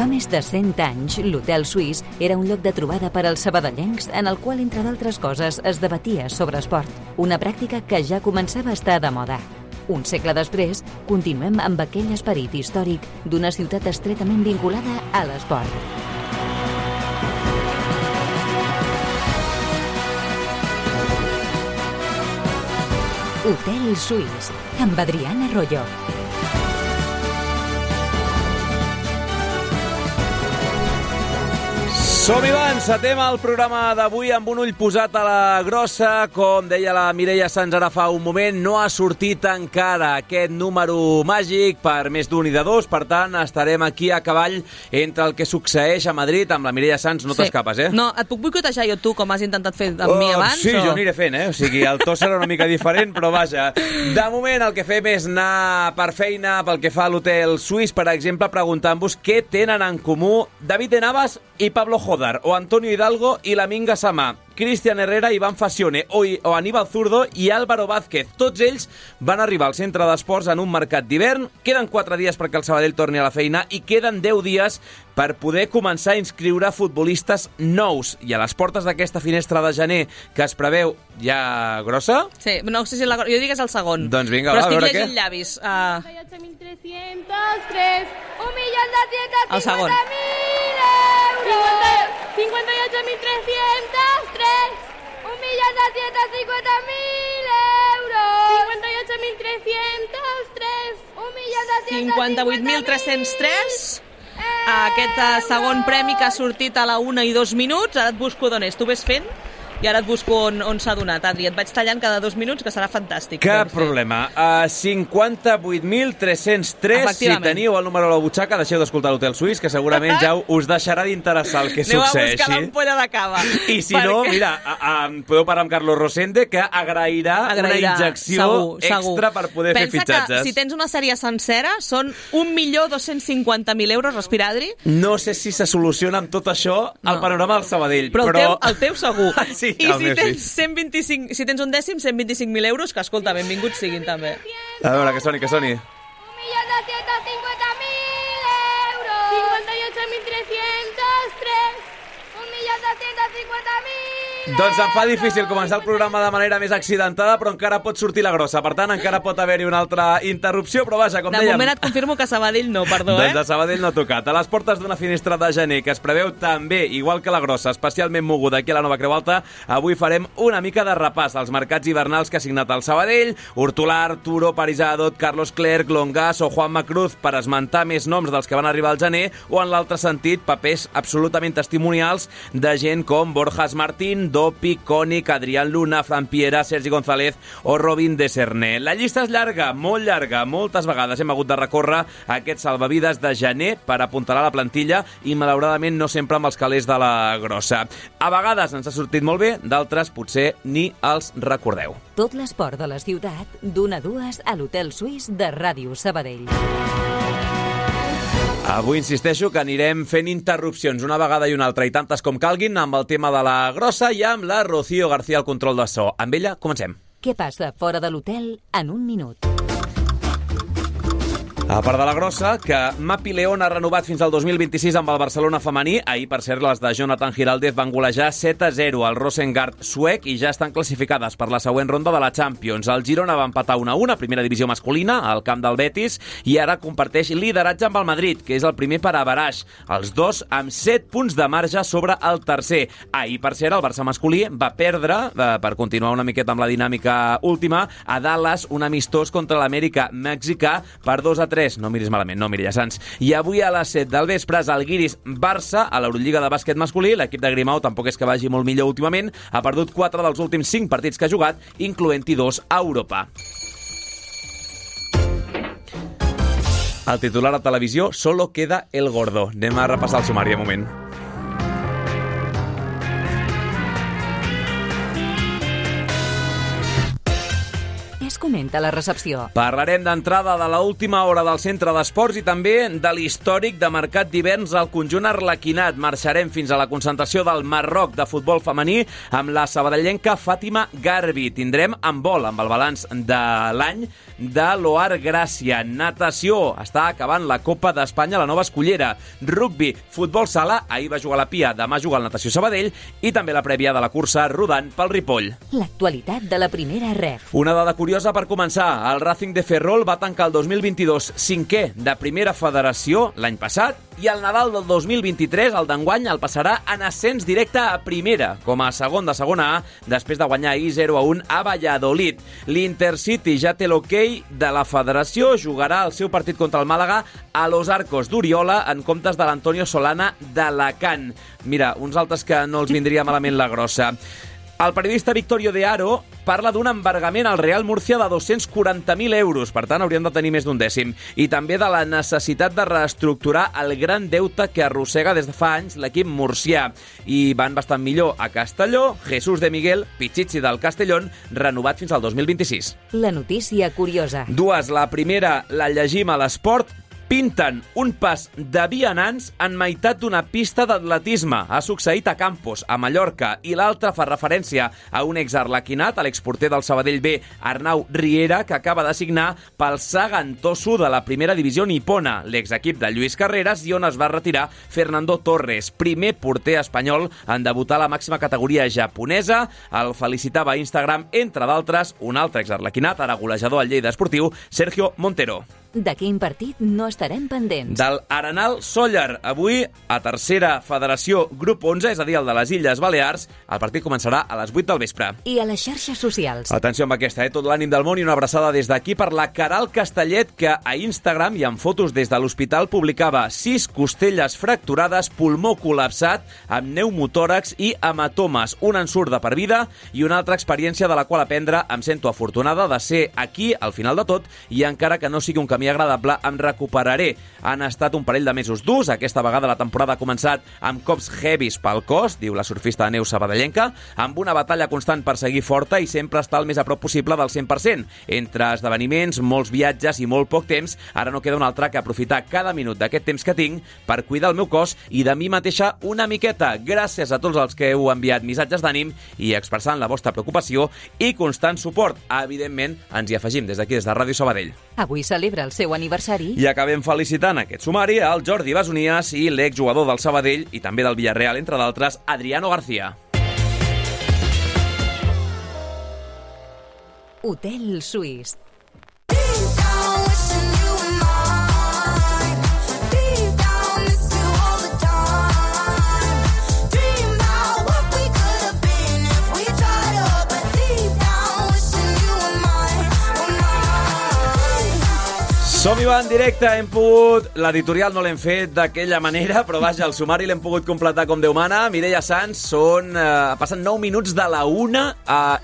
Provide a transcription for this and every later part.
Fa més de 100 anys, l'Hotel Suís era un lloc de trobada per als sabadellencs en el qual, entre d'altres coses, es debatia sobre esport, una pràctica que ja començava a estar de moda. Un segle després, continuem amb aquell esperit històric d'una ciutat estretament vinculada a l'esport. Hotel Suís, amb Adriana Arroyo. Som-hi, va, encetem el programa d'avui amb un ull posat a la grossa. Com deia la Mireia Sans ara fa un moment, no ha sortit encara aquest número màgic per més d'un i de dos. Per tant, estarem aquí a cavall entre el que succeeix a Madrid amb la Mireia Sans. No t'escapes, eh? No, et puc boicotejar jo tu, com has intentat fer amb mi abans? Sí, jo aniré fent, O sigui, el to serà una mica diferent, però vaja. De moment, el que fem és anar per feina pel que fa a l'Hotel Suís, per exemple, preguntant-vos què tenen en comú David de Navas i Pablo Jodar, o Antonio Hidalgo i Laminga Samà, Cristian Herrera, Iván Fasione o Aníbal Zurdo i Álvaro Vázquez. Tots ells van arribar al centre d'esports en un mercat d'hivern. Queden 4 dies perquè el Sabadell torni a la feina i queden 10 dies per poder començar a inscriure futbolistes nous. I a les portes d'aquesta finestra de gener que es preveu ja grossa... Sí, no sé si jo dic que és el segon. Doncs vinga, però va, a veure què. estic llegint llavis. 58.303, 1.250.000 El segon. euros. 58.303, 1.250.000 euros. 58.303, 58.303. Aquest segon premi que ha sortit a la 1 i 2 minuts. Ara et busco d'on és. Tu ves fent i ara et busco on s'ha donat, Adri. Et vaig tallant cada 2 minuts, que serà fantàstic. Cap problema. 58.303. Si teniu el número a la butxaca, deixeu d'escoltar l'Hotel Suís, que segurament ja us deixarà d'interessar el que succeeixi. Aneu a buscar l'ampolla de cava. I si no, mira, podeu parlar amb Carlos Rosende, que agrairà una injecció extra per poder fer fitxatges. Pensa que si tens una sèrie sencera són 1.250.000 euros, respira, Adri. No sé si se soluciona amb tot això el panorama del Sabadell. Però el teu segur. Sí, i si tens un dècim, 125.000 euros, que escolta, benvinguts siguin també. A veure, que soni. 1.250.000 euros. 58.303, 1.250.000. Doncs em fa difícil començar el programa de manera més accidentada, però encara pot sortir la grossa. Per tant, encara pot haver-hi una altra interrupció, però vaja, com dèiem... De moment et confirmo que Sabadell no, perdó, Doncs a Sabadell no ha tocat. A les portes d'una finestra de gener que es preveu també, igual que la grossa, especialment moguda aquí a la Nova Creu Alta, avui farem una mica de repàs als mercats hivernals que ha signat el Sabadell, Hortolà, Arturo, Paris-Adot, Carlos Clerc, Longas o Juan Macruz, per esmentar més noms dels que van arribar al gener, o en l'altre sentit, papers absolutament testimonials de gent com Borjas Martín, Dopi, Cònic, Adrián Luna, Fran Piera, Sergi González o Robin de Serné. La llista és llarga, molt llarga. Moltes vegades hem hagut de recórrer a aquests salvavides de gener per apuntalar la plantilla i, malauradament, no sempre amb els calés de la grossa. A vegades ens ha sortit molt bé, d'altres potser ni els recordeu. Tot l'esport de la ciutat, d'1 a 2 a l'Hotel Suís de Ràdio Sabadell. Avui insisteixo que anirem fent interrupcions una vegada i una altra i tantes com calguin amb el tema de la grossa i amb la Rocío García al control de so. Amb ella comencem. Què passa fora de l'hotel en un minut? A part de la grossa, que Mapi León ha renovat fins al 2026 amb el Barcelona femení. Ahir, per cert, les de Jonathan Giraldez van golejar 7-0 al Rosengard suec i ja estan classificades per la següent ronda de la Champions. El Girona va empatar 1-1 a primera divisió masculina al camp del Betis i ara comparteix lideratge amb el Madrid, que és el primer per averaix. Els dos amb 7 punts de marge sobre el tercer. Ahir, per cert, el Barça masculí va perdre, per continuar una miqueta amb la dinàmica última, a Dallas, un amistós contra l'Amèrica mexicà per 2-3. No miris malament, no miris, Sans. I avui a les 7 del vespre, el Guiris Barça, a l'Eurolliga de bàsquet masculí. L'equip de Grimau tampoc és que vagi molt millor últimament. Ha perdut 4 dels últims 5 partits que ha jugat, incloent-hi 2 a Europa. El titular a televisió, solo queda el gordo. Anem a repassar el sumari un moment. És com directament a la recepció. Parlarem d'entrada de l'última hora del centre d'esports i també de l'històric de mercat d'hiverns al conjunt arlequinat. Marxarem fins a la concentració del Marroc de futbol femení amb la sabadellenca Fàtima Garbi. Tindrem handbol amb el balanç de l'any de l'Oar Gràcia. Natació, està acabant la Copa d'Espanya, la nova escollera. Rugbi, futbol sala, ahir va jugar la Pia, demà juga el Natació Sabadell i també la prèvia de la cursa rodant pel Ripoll. L'actualitat de la primera ref. Una dada curiosa per començar. El Racing de Ferrol va tancar el 2022 cinquè de primera federació l'any passat i el Nadal del 2023, el d'enguany, el passarà en ascens directe a primera, com a segon de segona A, després de guanyar ahir 0-1 a Valladolid. L'Intercity ja té l'hoquei de la federació, jugarà el seu partit contra el Màlaga a Los Arcos d'Oriola en comptes de l'Antonio Solana d'Alacant. Mira, uns altres que no els vindria malament la grossa. El periodista Victorio de Haro parla d'un embargament al Real Murcia de 240.000 euros, per tant hauríem de tenir més d'un dècim, i també de la necessitat de reestructurar el gran deute que arrossega des de fa anys l'equip murcià. I van bastant millor a Castelló, Jesús de Miguel, Pichichi del Castellón, renovat fins al 2026. La notícia curiosa. Dues, la primera la llegim a l'Esport. Pinten un pas de vianants en meitat d'una pista d'atletisme. Ha succeït a Campos, a Mallorca, i l'altra fa referència a un exarlequinat, a l'exporter del Sabadell B, Arnau Riera, que acaba de signar pel Sagan Tosu de la primera divisió nipona, l'exequip de Lluís Carreras, i on es va retirar Fernando Torres, primer porter espanyol en debutar a la màxima categoria japonesa. El felicitava a Instagram, entre d'altres, un altre exarlequinat, ara golejador al Lleida Esportiu, Sergio Montero. De quin partit no estarem pendents? Del Arenal Sóller. Avui, a tercera federació, grup 11, és a dir, el de les Illes Balears. El partit començarà a les 8 del vespre. I a les xarxes socials. Atenció amb aquesta, tot l'ànim del món i una abraçada des d'aquí per la Caral Castellet, que a Instagram i en fotos des de l'hospital publicava 6 costelles fracturades, pulmó col·lapsat, amb pneumotòrax i hematomes. Un ensurt de per vida i una altra experiència de la qual aprendre. Em sento afortunada de ser aquí al final de tot i encara que no sigui un camí agradable, em recuperaré. Han estat un parell de mesos durs. Aquesta vegada la temporada ha començat amb cops heavies pel cos, diu la surfista de neu sabadellenca, amb una batalla constant per seguir forta i sempre estar el més a prop possible del 100%. Entre esdeveniments, molts viatges i molt poc temps, ara no queda un altre que aprofitar cada minut d'aquest temps que tinc per cuidar el meu cos i de mi mateixa una miqueta. Gràcies a tots els que heu enviat missatges d'ànim i expressant la vostra preocupació i constant suport. Evidentment, ens hi afegim des d'aquí, des de Ràdio Sabadell. Avui celebra el seu aniversari. I acabem felicitant aquest sumari al Jordi Besonies i l'exjugador del Sabadell i també del Villarreal, entre d'altres, Adriano García. Hotel Suís. Som-hi va en directe, hem pogut... L'editorial no l'hem fet d'aquella manera, però vaja, el sumari l'hem pogut completar com Déu mana. Mireia Sanz, passen 9 minuts de la 1.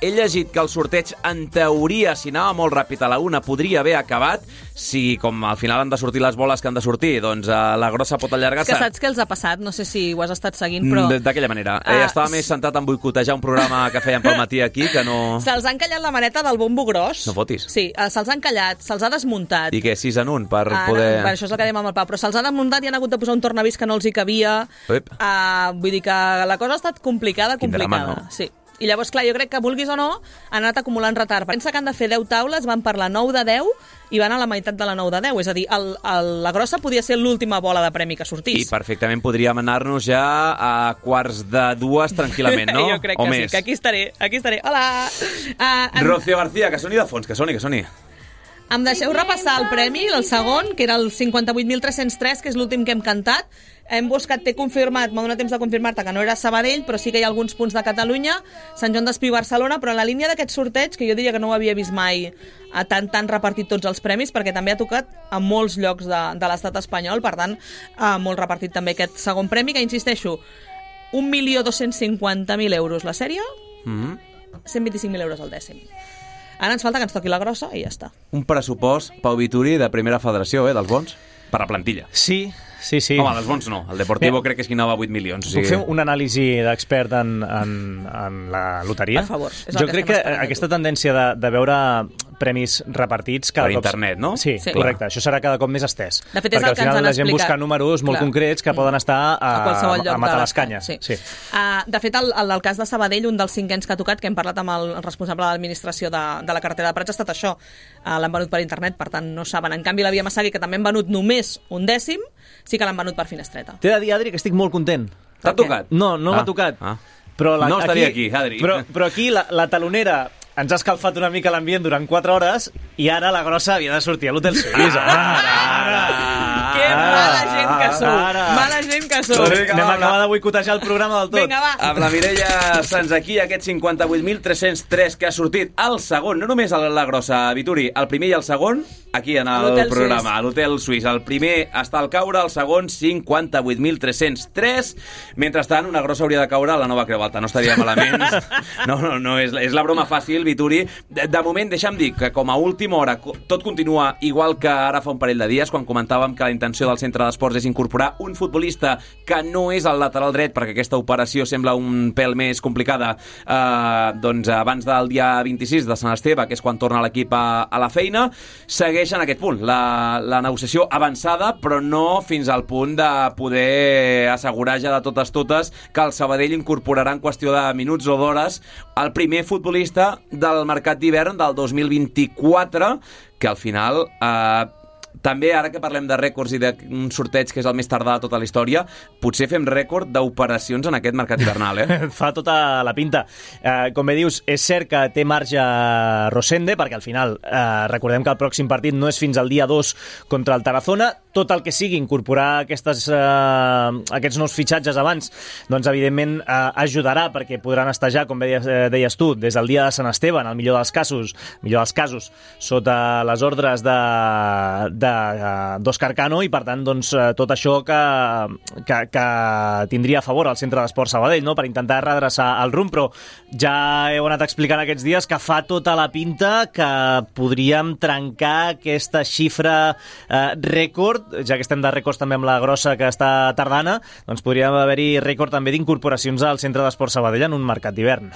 He llegit que el sorteig, en teoria, si anava molt ràpid a la 1, podria haver acabat. Si, com al final han de sortir les boles que han de sortir, doncs la grossa pot allargar-se. És que saps què els ha passat? No sé si ho has estat seguint, però... D'aquella manera. Estava més centrat en boicotejar un programa que feien pel matí aquí, que no... Se'ls han callat la maneta del bombo gros. No fotis. Sí, se'ls han callat, se'ls ha desmuntat. I què, 6 en 1 per poder... No, per això és el que dèiem amb el Pau, però se'ls ha desmuntat i han hagut de posar un tornavís que no els hi cabia. Vull dir que la cosa ha estat complicada. Quin drama, no? Sí. I llavors, clar, jo crec que, vulguis o no, han anat acumulant retard. Pensa que han de fer 10 taules, van per la 9 de 10 i van a la meitat de la 9 de 10. És a dir, la grossa podia ser l'última bola de premi que sortís. I perfectament podríem anar-nos ja a quarts de 2 tranquil·lament, no? Jo crec que sí, que aquí estaré. Hola! Rocío García, que soni de fons, que soni. Em deixeu repassar el premi, el segon, que era el 58.303, que és l'últim que hem cantat. Hem buscat, t'he confirmat, m'ha donat temps de confirmar-te que no era Sabadell, però sí que hi ha alguns punts de Catalunya, Sant Joan d'Espí i Barcelona, però en la línia d'aquest sorteig, que jo diria que no ho havia vist mai tan repartit tots els premis, perquè també ha tocat a molts llocs de l'estat espanyol, per tant, molt repartit també aquest segon premi, que insisteixo, 1.250.000 euros la sèrie, 125.000 euros el dècim. Ara ens falta que ens toqui la grossa i ja està. Un pressupost, Pau Vituri, de primera federació, dels bons, per a plantilla. Sí. Home, dels bons no. El Deportivo crec que és qui anava a 8 milions. Puc fer un anàlisi d'expert en la loteria? Per favor. Jo crec que aquesta tendència de veure premis repartits cada per cop... internet, no? Sí, correcte. Això serà cada cop més estès. De fet, és perquè el que ens al han final la gent explicat. busca números molt concrets que poden estar a qualsevol lloc a matar de les canyes. Sí. De fet, el cas de Sabadell, un dels 5 anys que ha tocat, que hem parlat amb el responsable de l'administració de la cartera de Prats, ha estat això. L'han venut per internet, per tant no saben. En canvi, la Via Massagui, que també han venut només 1/10, sí que l'han venut per finestreta. T'he de dir, Adri, que estic molt content. T'ha tocat? No m'ha tocat. Però no estaria aquí, Adri. Però aquí la talonera ens ha escalfat una mica l'ambient durant 4 hores i ara la grossa havia de sortir a l'Hotel Suís. Que mala gent que sou. Mala gent que sou. Anem a acabar de boicotejar el programa del tot. Vinga, va. Amb la Mireia Sans aquí, aquest 58.303 que ha sortit al segon, no només a la grossa, Vituri, el primer i el segon, aquí en el programa, a l'Hotel Suís. El primer està al caure, el segon 58.303. Mentrestant, una grossa hauria de caure a la Nova Creu Alta, no estaria malament. No, és la broma fàcil, Vituri. De moment, deixa'm dir que com a última hora tot continua igual que ara fa un parell de dies, quan comentàvem que la intenció del centre d'esports és incorporar un futbolista que no és el lateral dret, perquè aquesta operació sembla un pèl més complicada, doncs abans del dia 26 de Sant Esteve, que és quan torna l'equip a la feina. Segueix en aquest punt la negociació avançada, però no fins al punt de poder assegurar ja de totes que el Sabadell incorporarà en qüestió de minuts o d'hores el primer futbolista del mercat d'hivern del 2024, que al final també, ara que parlem de rècords i d'un sorteig que és el més tardà de tota la història, potser fem rècord d'operacions en aquest mercat hivernal, Fa tota la pinta. Com bé dius, és cert que té marge Rosende, perquè al final recordem que el pròxim partit no és fins al dia 2 contra el Tarazona. Tot el que sigui incorporar aquests nous fitxatges abans, doncs evidentment ajudarà, perquè podran estar ja, com deies tu, des del dia de Sant Esteve, en el millor dels casos, sota les ordres d'Òscar Cano, i per tant doncs, tot això que tindria a favor el centre d'esport Sabadell, no? Per intentar redreçar el rumb, però ja heu anat explicant aquests dies que fa tota la pinta que podríem trencar aquesta xifra rècord, ja que estem de rècords també amb la grossa que està tardana, doncs podríem haver-hi rècord també d'incorporacions al centre d'esport Sabadell en un mercat d'hivern.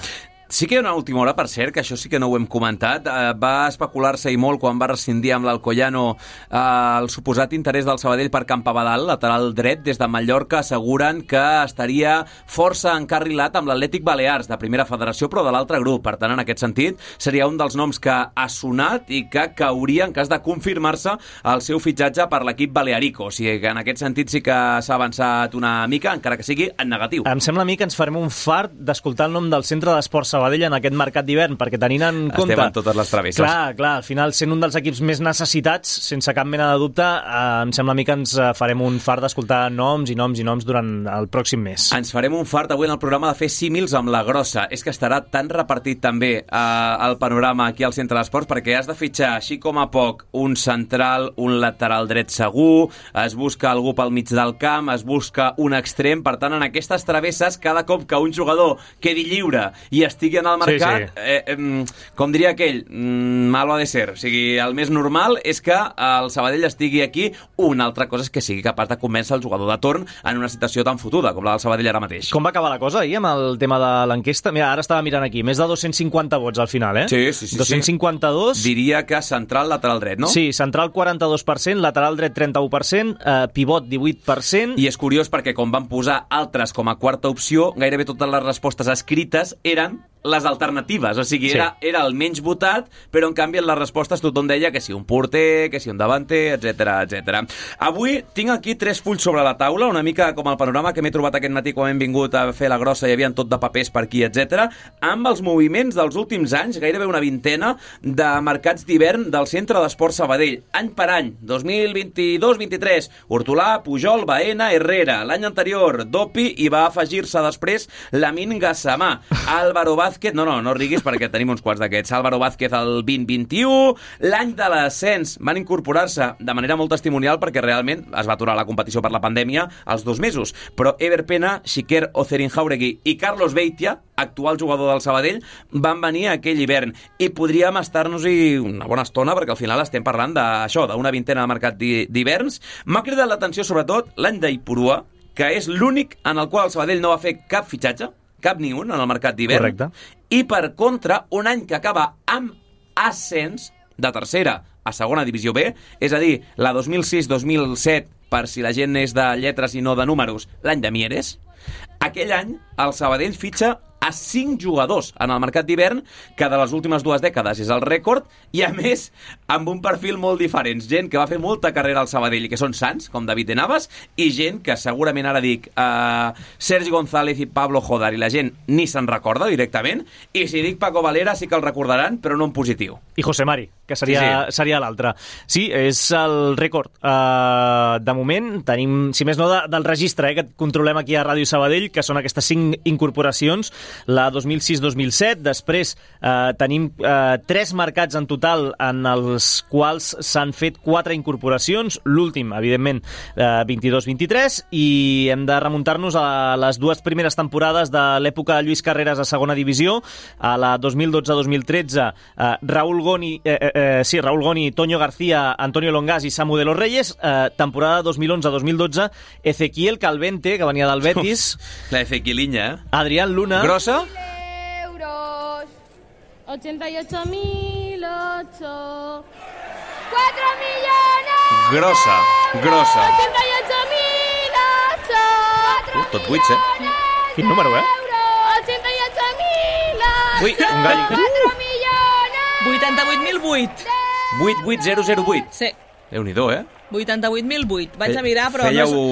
Sí que hi ha una última hora, per cert, que això sí que no ho hem comentat. Va especular-se i molt quan va rescindir amb l'Alcoyano el suposat interès del Sabadell per Campabadal, lateral dret. Des de Mallorca asseguren que estaria força encarrilat amb l'Atlètic Balears, de primera federació, però de l'altre grup. Per tant, en aquest sentit, seria un dels noms que ha sonat i que cauria en cas de confirmar-se el seu fitxatge per l'equip balearico. O sigui que en aquest sentit sí que s'ha avançat una mica, encara que sigui en negatiu. Em sembla a mi que ens farem un fart d'escoltar el nom del centre d'esport Sabadell en aquest mercat d'hivern, perquè tenint en compte... Estem en totes les travesses. Clar, al final, sent un dels equips més necessitats, sense cap mena de dubte, em sembla a mi que ens farem un fart d'escoltar noms durant el pròxim mes. Ens farem un fart avui en el programa de fer símils amb la grossa. És que estarà tan repartit també el panorama aquí al centre d'esports, perquè has de fitxar, així com a poc, un central, un lateral dret segur, es busca algú pel mig del camp, es busca un extrem. Per tant, en aquestes travesses, cada cop que un jugador quedi lliure i estigui en el mercat, com diria aquell, malo ha de ser. O sigui, el més normal és que el Sabadell estigui aquí. Una altra cosa és que sigui capaç de convèncer el jugador de torn en una situació tan fotuda com la del Sabadell ara mateix. Com va acabar la cosa ahir amb el tema de l'enquesta? Mira, ara estava mirant aquí, més de 250 vots al final, Sí. 252... Diria que central, lateral dret, no? Sí, central 42%, lateral dret 31%, pivot 18%... I és curiós perquè com van posar altres com a quarta opció, gairebé totes les respostes escrites eren les alternatives, o sigui, era el menys votat, però en canvi en les respostes tothom deia que si un porter, que si un davanter, etc. Avui tinc aquí 3 fulls sobre la taula, una mica com el panorama que m'he trobat aquest matí quan hem vingut a fer la grossa, hi havia tot de papers per aquí, etc. Amb els moviments dels últims anys, gairebé una vintena de mercats d'hivern del centre d'esport Sabadell, any per any, 2022-23, Hortolà, Pujol, Baena, Herrera, l'any anterior, Dopi, i va afegir-se després Lamin Gassamà, Álvaro Vázquez, no riguis perquè tenim uns quants d'aquests, Álvaro Vázquez el 2021, l'any de l'ascens van incorporar-se de manera molt testimonial perquè realment es va aturar la competició per la pandèmia als 2 mesos, però Ever Pena, Xiquer Ocerin-Jauregui i Carlos Beitia, actual jugador del Sabadell, van venir aquell hivern i podríem estar-nos-hi una bona estona perquè al final estem parlant d'això, d'una vintena de mercat d'hiverns. M'ha cridat l'atenció sobretot l'any d'Ipurua, que és l'únic en el qual el Sabadell no va fer cap fitxatge, cap ni un en el mercat d'hivern. Correcte. I per contra, un any que acaba amb ascens de tercera a segona divisió B, és a dir, la 2006-2007, per si la gent és de lletres i no de números, l'any de Mieres. Aquell any, el Sabadell fitxa a 5 jugadors en el mercat d'hivern, que de les últimes 2 dècades és el rècord, i a més, amb un perfil molt diferent. Gent que va fer molta carrera al Sabadell i que són sants, com David de Navas, i gent que segurament ara dic Sergi González i Pablo Jodar, i la gent ni se'n recorda directament, i si dic Paco Valera sí que el recordaran, però no en positiu. I José Mari, que seria l'altre. Sí, és el rècord. De moment tenim, si més no, del registre que controlem aquí a Ràdio Sabadell, que són aquestes 5 incorporacions, la 2006-2007, després tenim 3 mercats en total en els quals s'han fet 4 incorporacions, l'últim, evidentment, 22-23, i hem de remuntar-nos a les 2 primeres temporades de l'època de Lluís Carreras a segona divisió, a la 2012-2013, Raúl Goni, Toño García, Antonio Longas i Samu de los Reyes, temporada 2011-2012, Ezequiel Calvente, que venia del Betis, la Ezequieliña, Adrián Luna, grossa, euros. 88.008. 4 millones. grossa. 88.008. Tot buits, Quin número, 88.008. Ui, un gall. 4 millones. 88.008. 88008. Sí, Déu-n'hi-do, 88.008. Vaig a mirar, però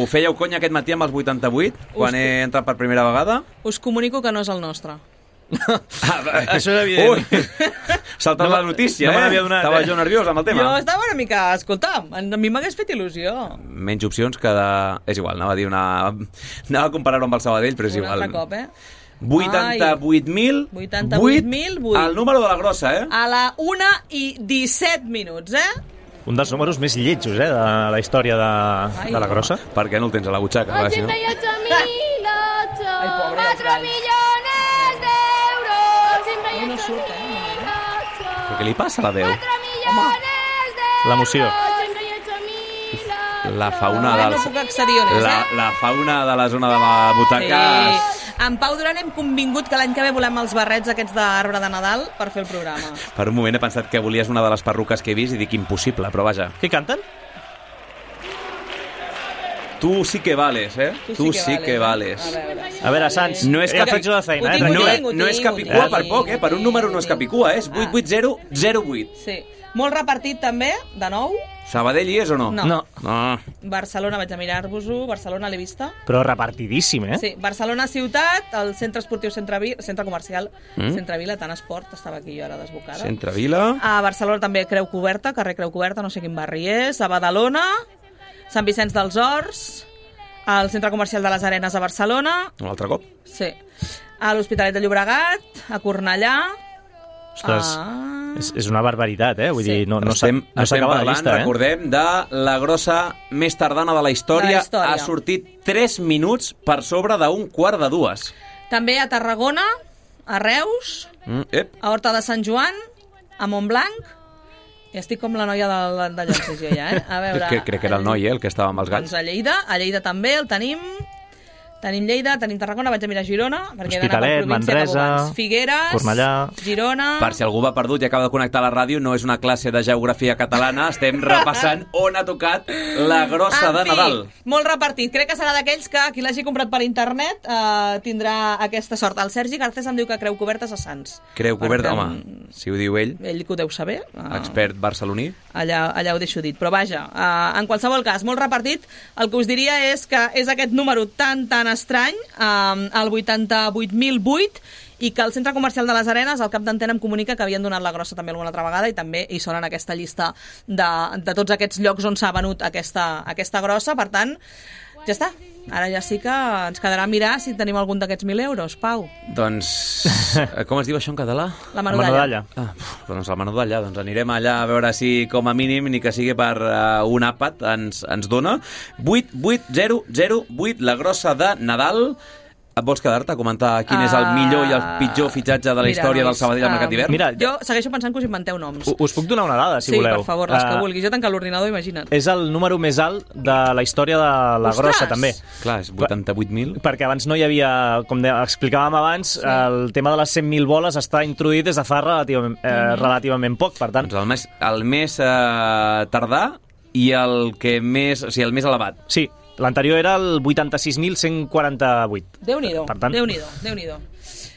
Fèieu conya aquest matí amb els 88, quan he entrat per primera vegada? us comunico que no és el nostre. Això és evident. Ui, saltat la notícia, no me n'havia donat, Estava jo nerviós amb el tema. Jo estava una mica... Escolta, a mi m'hagués fet il·lusió. Menys opcions que de... És igual, anava a comparar-ho amb el Sabadell, però és Un igual. altre cop, 88.008. 88.008. El número de la grossa, A la 1:17 minuts, Un dels números més lletjos, de la història de la grossa. Per què no el tens a la butxaca? Va, si no? 88.008. Ai, pobre, 4 els millones d'euros. No surt, Però què li passa a la veu? 4 millones d'euros. L'emoció. 88.008. La fauna No dels... puc accedir on és, La fauna de la zona de la butaca... Sí. En Pau Duran hem convingut que l'any que ve volem els barrets aquests d'arbre de Nadal per fer el programa. Per un moment he pensat que volies una de les perruques que he vist i dic impossible, però vaja. Què canten? Tu sí que vales, Tu sí que vales. A veure, Sants, No és ja cap- faig jo la feina, Ho tinc, tranquil. No és capicua per poc, Per un número no és capicua, és 88008. Sí. Molt repartit també, de nou. Sabadell hi és o no? No. No, Barcelona, vaig a mirar-vos-ho. Barcelona l'he vista. però repartidíssim, Sí, Barcelona ciutat, el centre esportiu centre comercial Centre Vila, tant esport, estava aquí jo ara desbocada. Centre Vila... A Barcelona també Creu Coberta, carrer Creu Coberta, no sé quin barri és. A Badalona, Sant Vicenç dels Horts, al centre comercial de les Arenes a Barcelona, Un altre cop. sí. A l'Hospitalet de Llobregat, a Cornellà... Ostres, és una barbaritat, Vull dir, no Estem s'acaba la parlant, llista, recordem, de la grossa més tardana de la història. De la història. Ha sortit 3 minuts per sobre d'un quart de 2. També a Tarragona, a Reus, a Horta de Sant Joan, a Montblanc... I estic com la noia de Llonses, jo ja, A veure... Crec que era el noi, el que estava amb els Doncs galls. a Lleida també el tenim. Tenim Lleida, tenim Tarragona, vaig a mirar Girona, perquè he d'anar per Hospitalet, província Manresa, cap abans. Figueres, Cornellà. Girona... Per si algú va perdut i acaba de connectar a la ràdio, no és una classe de geografia catalana, estem repassant on ha tocat la grossa de Nadal. Molt repartit. Crec que serà d'aquells que qui l'hagi comprat per internet tindrà aquesta sort. El Sergi Garcés em diu que Creu Coberta és a Sants. Creu Coberta, Per home, tant, si ho diu ell, Ell que ho deu saber. expert barceloní. Allà ho deixo dit. Però vaja, en qualsevol cas, molt repartit. El que us diria és que és aquest número tan estrany, el 88.008, i que el Centre Comercial de les Arenes, al cap d'antena, em comunica que havien donat la grossa també alguna altra vegada i també hi són en aquesta llista de tots aquests llocs on s'ha venut aquesta grossa. Per tant, ja està. Ara ja sí que ens quedarà mirar si tenim algun d'aquests 1.000 euros, Pau. Doncs, com es diu això en català? La menudalla. Doncs la menudalla, doncs anirem allà a veure si com a mínim, ni que sigui per un àpat, ens dona. 888008, la grossa de Nadal. Et vols quedar-te a comentar quin és el millor i el pitjor fitxatge de la història del Sabadell al mercat d'hivern? Mira, Jo segueixo pensant que us inventeu noms. us puc donar una dada, si Sí, voleu. per favor, les que vulguis. Jo tancar l'ordinador, imagina't. És el número més alt de la història de la Ostres! grossa, també. Clar, és 88.000. Perquè abans no hi havia, com explicàvem abans, el tema de les 100.000 boles està introduït des de fa relativament poc, per tant... Doncs el més tardà i el més elevat. Sí, l'anterior era el 86.148. Déu-n'hi-do, Per tant- Déu-n'hi-do.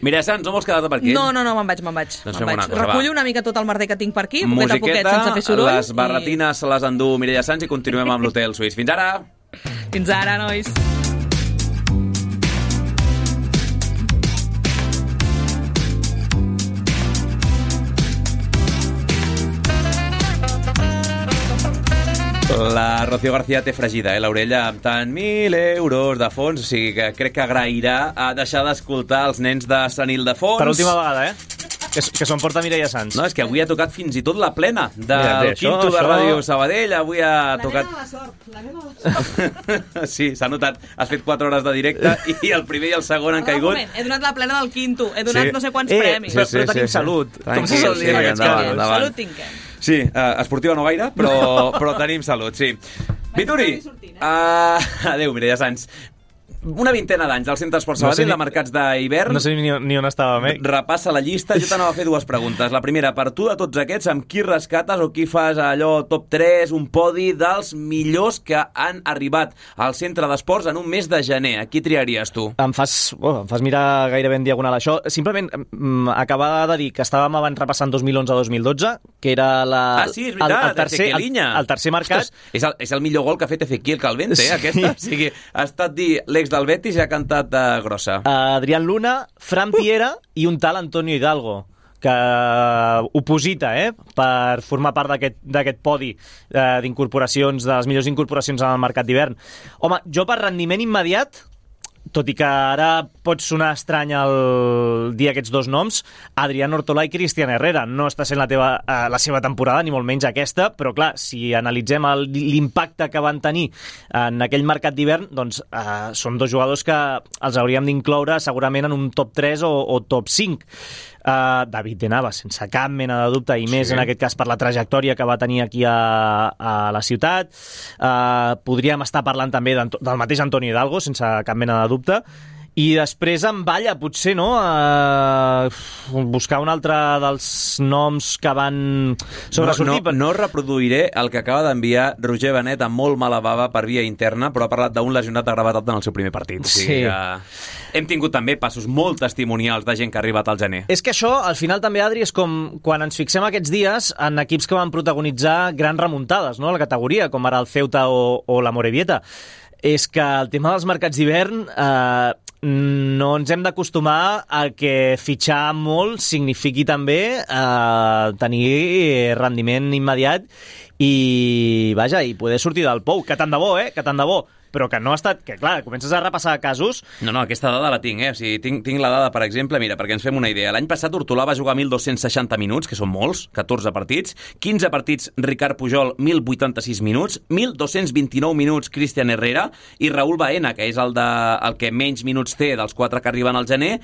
Mira, Sans, no vols quedar-te per aquí? No, me'n vaig. Doncs fem una cosa, Recullo va. una mica tot el merder que tinc per aquí, poquet a poquet, Musiqueta, sense fer soroll. les barretines se les endú Mireia Sans i continuem amb l'Hotel Suís. Fins ara! Fins ara, nois. La Rocío García té fregida, l'orella amb tant 1.000 euros de fons, o sigui que crec que agrairà a deixar d'escoltar els nens de Sant Ildefons. Per última vegada, que s'ho emporta Mireia Sans. No, és que avui ha tocat fins i tot la plena del Mira, té, quinto de això- Ràdio Sabadell, avui ha tocat... la sort. Sí, s'ha notat. Has fet 4 hores de directe i el primer i el segon han Un caigut. moment, he donat la plena del quinto, he donat Sí. no sé quants premis. Però tenim salut. Com se sol dir en aquests endavant, casos? endavant. Salut tinguem. Sí, esportiva no gaire, però tenim salut, sí. Vituri, adéu, Mireia Sans. Una vintena d'anys del Centre Esport Sabadell, de mercats d'hivern. No sé ni on estàvem, Repassa la llista. Jo t'anava a fer dues preguntes. La primera, per tu, de tots aquests, amb qui rescates o qui fas allò top 3, un podi dels millors que han arribat al Centre d'Esports en un mes de gener? A qui triaries tu? Em fas mirar gairebé en diagonal això. Simplement acabar de dir que estàvem abans repassant 2011-2012, que era Sí, és veritat, el tercer mercat. Ostres, és el millor gol que ha fet Ezequiel Calvente, aquesta. O sigui, ha estat dir l'ex del Betis i ha cantat grossa. Adrián Luna, Fran Piera i un tal Antonio Hidalgo, que oposita per formar part d'aquest podi d'incorporacions, de les millors incorporacions al mercat d'hivern. Home, jo per rendiment immediat, tot i que ara pot sonar estrany dir aquests dos noms, Adrián Ortolà i Cristian Herrera. No està sent la seva temporada, ni molt menys aquesta, però clar, si analitzem l'impacte que van tenir en aquell mercat d'hivern, doncs són dos jugadors que els hauríem d'incloure segurament en un top 3 o top 5. David de Navas, sense cap mena de dubte, i més en aquest cas per la trajectòria que va tenir aquí a la ciutat. Podríem estar parlant també del mateix Antonio Hidalgo, sense cap mena de dubte. I després en balla, potser, no? Buscar un altre dels noms que van sobresortir. No reproduiré el que acaba d'enviar Roger Benet amb molt mala bava per via interna, però ha parlat d'un lesionat de gravetat en el seu primer partit. Sí. O sigui que hem tingut també passos molt testimonials de gent que ha arribat al gener. És que això, al final també, Adri, és com quan ens fixem aquests dies en equips que van protagonitzar grans remuntades, no?, a la categoria, com ara el Ceuta o la Morevieta. És que el tema dels mercats d'hivern no ens hem d'acostumar a que fitxar molt signifiqui també tenir rendiment immediat i, vaja, i poder sortir del pou. Que tant de bo, que tant de bo. Però que no ha estat... Que, clar, comences a repassar casos... No, aquesta dada la tinc, O sigui, tinc la dada, per exemple, mira, perquè ens fem una idea. L'any passat Hortolà va jugar 1.260 minuts, que són molts, 14 partits. 15 partits Ricard Pujol, 1.086 minuts. 1.229 minuts Cristian Herrera. I Raúl Baena, que és el que menys minuts té dels 4 que arriben al gener,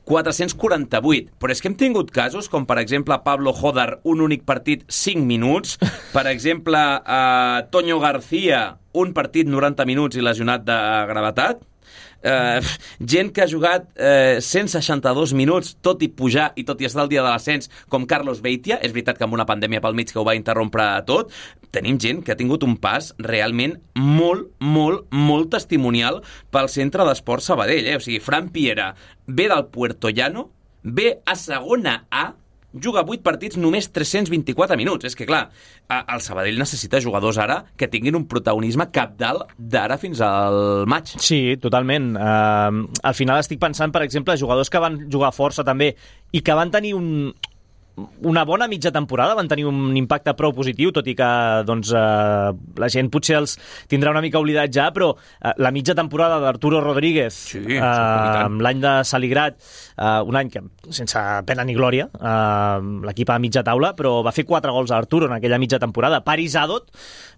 448. Però és que hem tingut casos com, per exemple, Pablo Jodar, un únic partit, 5 minuts. Per exemple, Toño García, un partit 90 minuts i lesionat de gravetat. Gent que ha jugat 162 minuts, tot i pujar i tot i estar al dia de l'ascens, com Carlos Beitia. És veritat que amb una pandèmia pel mig que ho va interrompre tot. Tenim gent que ha tingut un pas realment molt testimonial pel Centre d'Esport Sabadell. O sigui, Fran Piera ve del Puerto Llano, ve a segona A, juga 8 partits, només 324 minuts. És que, clar, el Sabadell necessita jugadors ara que tinguin un protagonisme cabdal d'ara fins al maig. Sí, totalment. Al final estic pensant, per exemple, jugadors que van jugar força també i que van tenir una bona mitja temporada, van tenir un impacte prou positiu, tot i que doncs, la gent potser els tindrà una mica oblidat ja, però la mitja temporada d'Arturo Rodríguez, l'any de Saligrat, un any que sense pena ni glòria, l'equip a mitja taula, però va fer 4 gols a Arturo en aquella mitja temporada. Paris Adot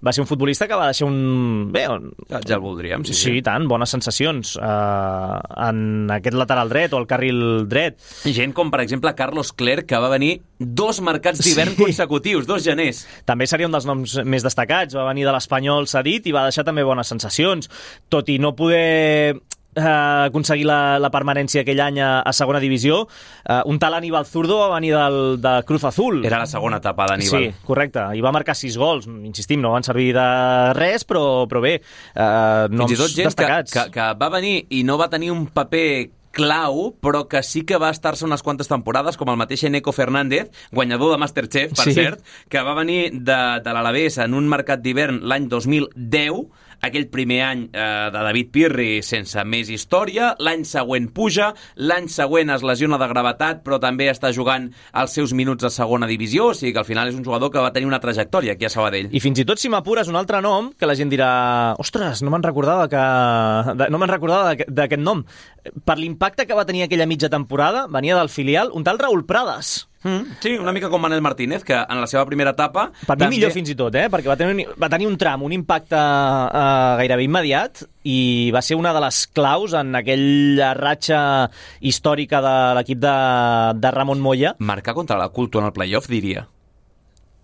va ser un futbolista que va deixar ja el voldríem, sí. Sí, tant, bones sensacions en aquest lateral dret o el carril dret. Gent com, per exemple, Carlos Clerc, que va venir 2 mercats d'hivern consecutius, 2 geners. També seria un dels noms més destacats. Va venir de l'Espanyol cedit i va deixar també bones sensacions, tot i no poder aconseguir la permanència aquell any a segona divisió. Un tal Aníbal Zurdo va venir de Cruz Azul. Era la segona etapa d'Aníbal. Sí, correcte. I va marcar 6 gols. Insistim, no van servir de res, però bé, noms fins i tot gent destacats. Que va venir i no va tenir un paper clau, però que sí que va estar-se unes quantes temporades, com el mateix Eneco Fernández, guanyador de Masterchef, per cert, que va venir de l'Alavés en un mercat d'hivern l'any 2010, aquell primer any de David Pirri sense més història, l'any següent puja, l'any següent es lesiona de gravetat, però també està jugant els seus minuts a segona divisió, o sigui que al final és un jugador que va tenir una trajectòria aquí a Sabadell. I fins i tot si m'apures un altre nom, que la gent dirà, ostres, no me'n recordava d'aquest nom. Per l'impacte que va tenir aquella mitja temporada, venia del filial, un tal Raúl Prades. Sí, una mica com Manel Martínez, que en la seva primera etapa... Per mi millor fins i tot, perquè va tenir un tram, un impacte gairebé immediat, i va ser una de les claus en aquella ratxa històrica de l'equip de Ramon Moya. Marcar contra la Culto en el playoff, diria.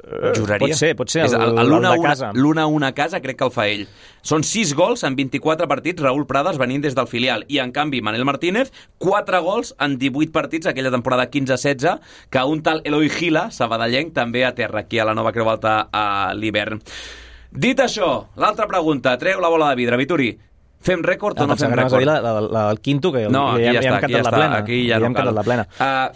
Juraria. Pot ser el de casa. L'1-1 a casa crec que el fa ell. Són 6 gols en 24 partits, Raúl Prades venint des del filial, i en canvi Manel Martínez 4 gols en 18 partits aquella temporada 15-16, que un tal Eloi Gila, sabadellenc, també aterra aquí a la Nova Creu Alta a l'hivern. Dit això, l'altra pregunta, treu la bola de vidre, Vituri. Fem rècord o no fem rècord? La del Quinto, que no, ja hem cantat la plena. Aquí ja no cal.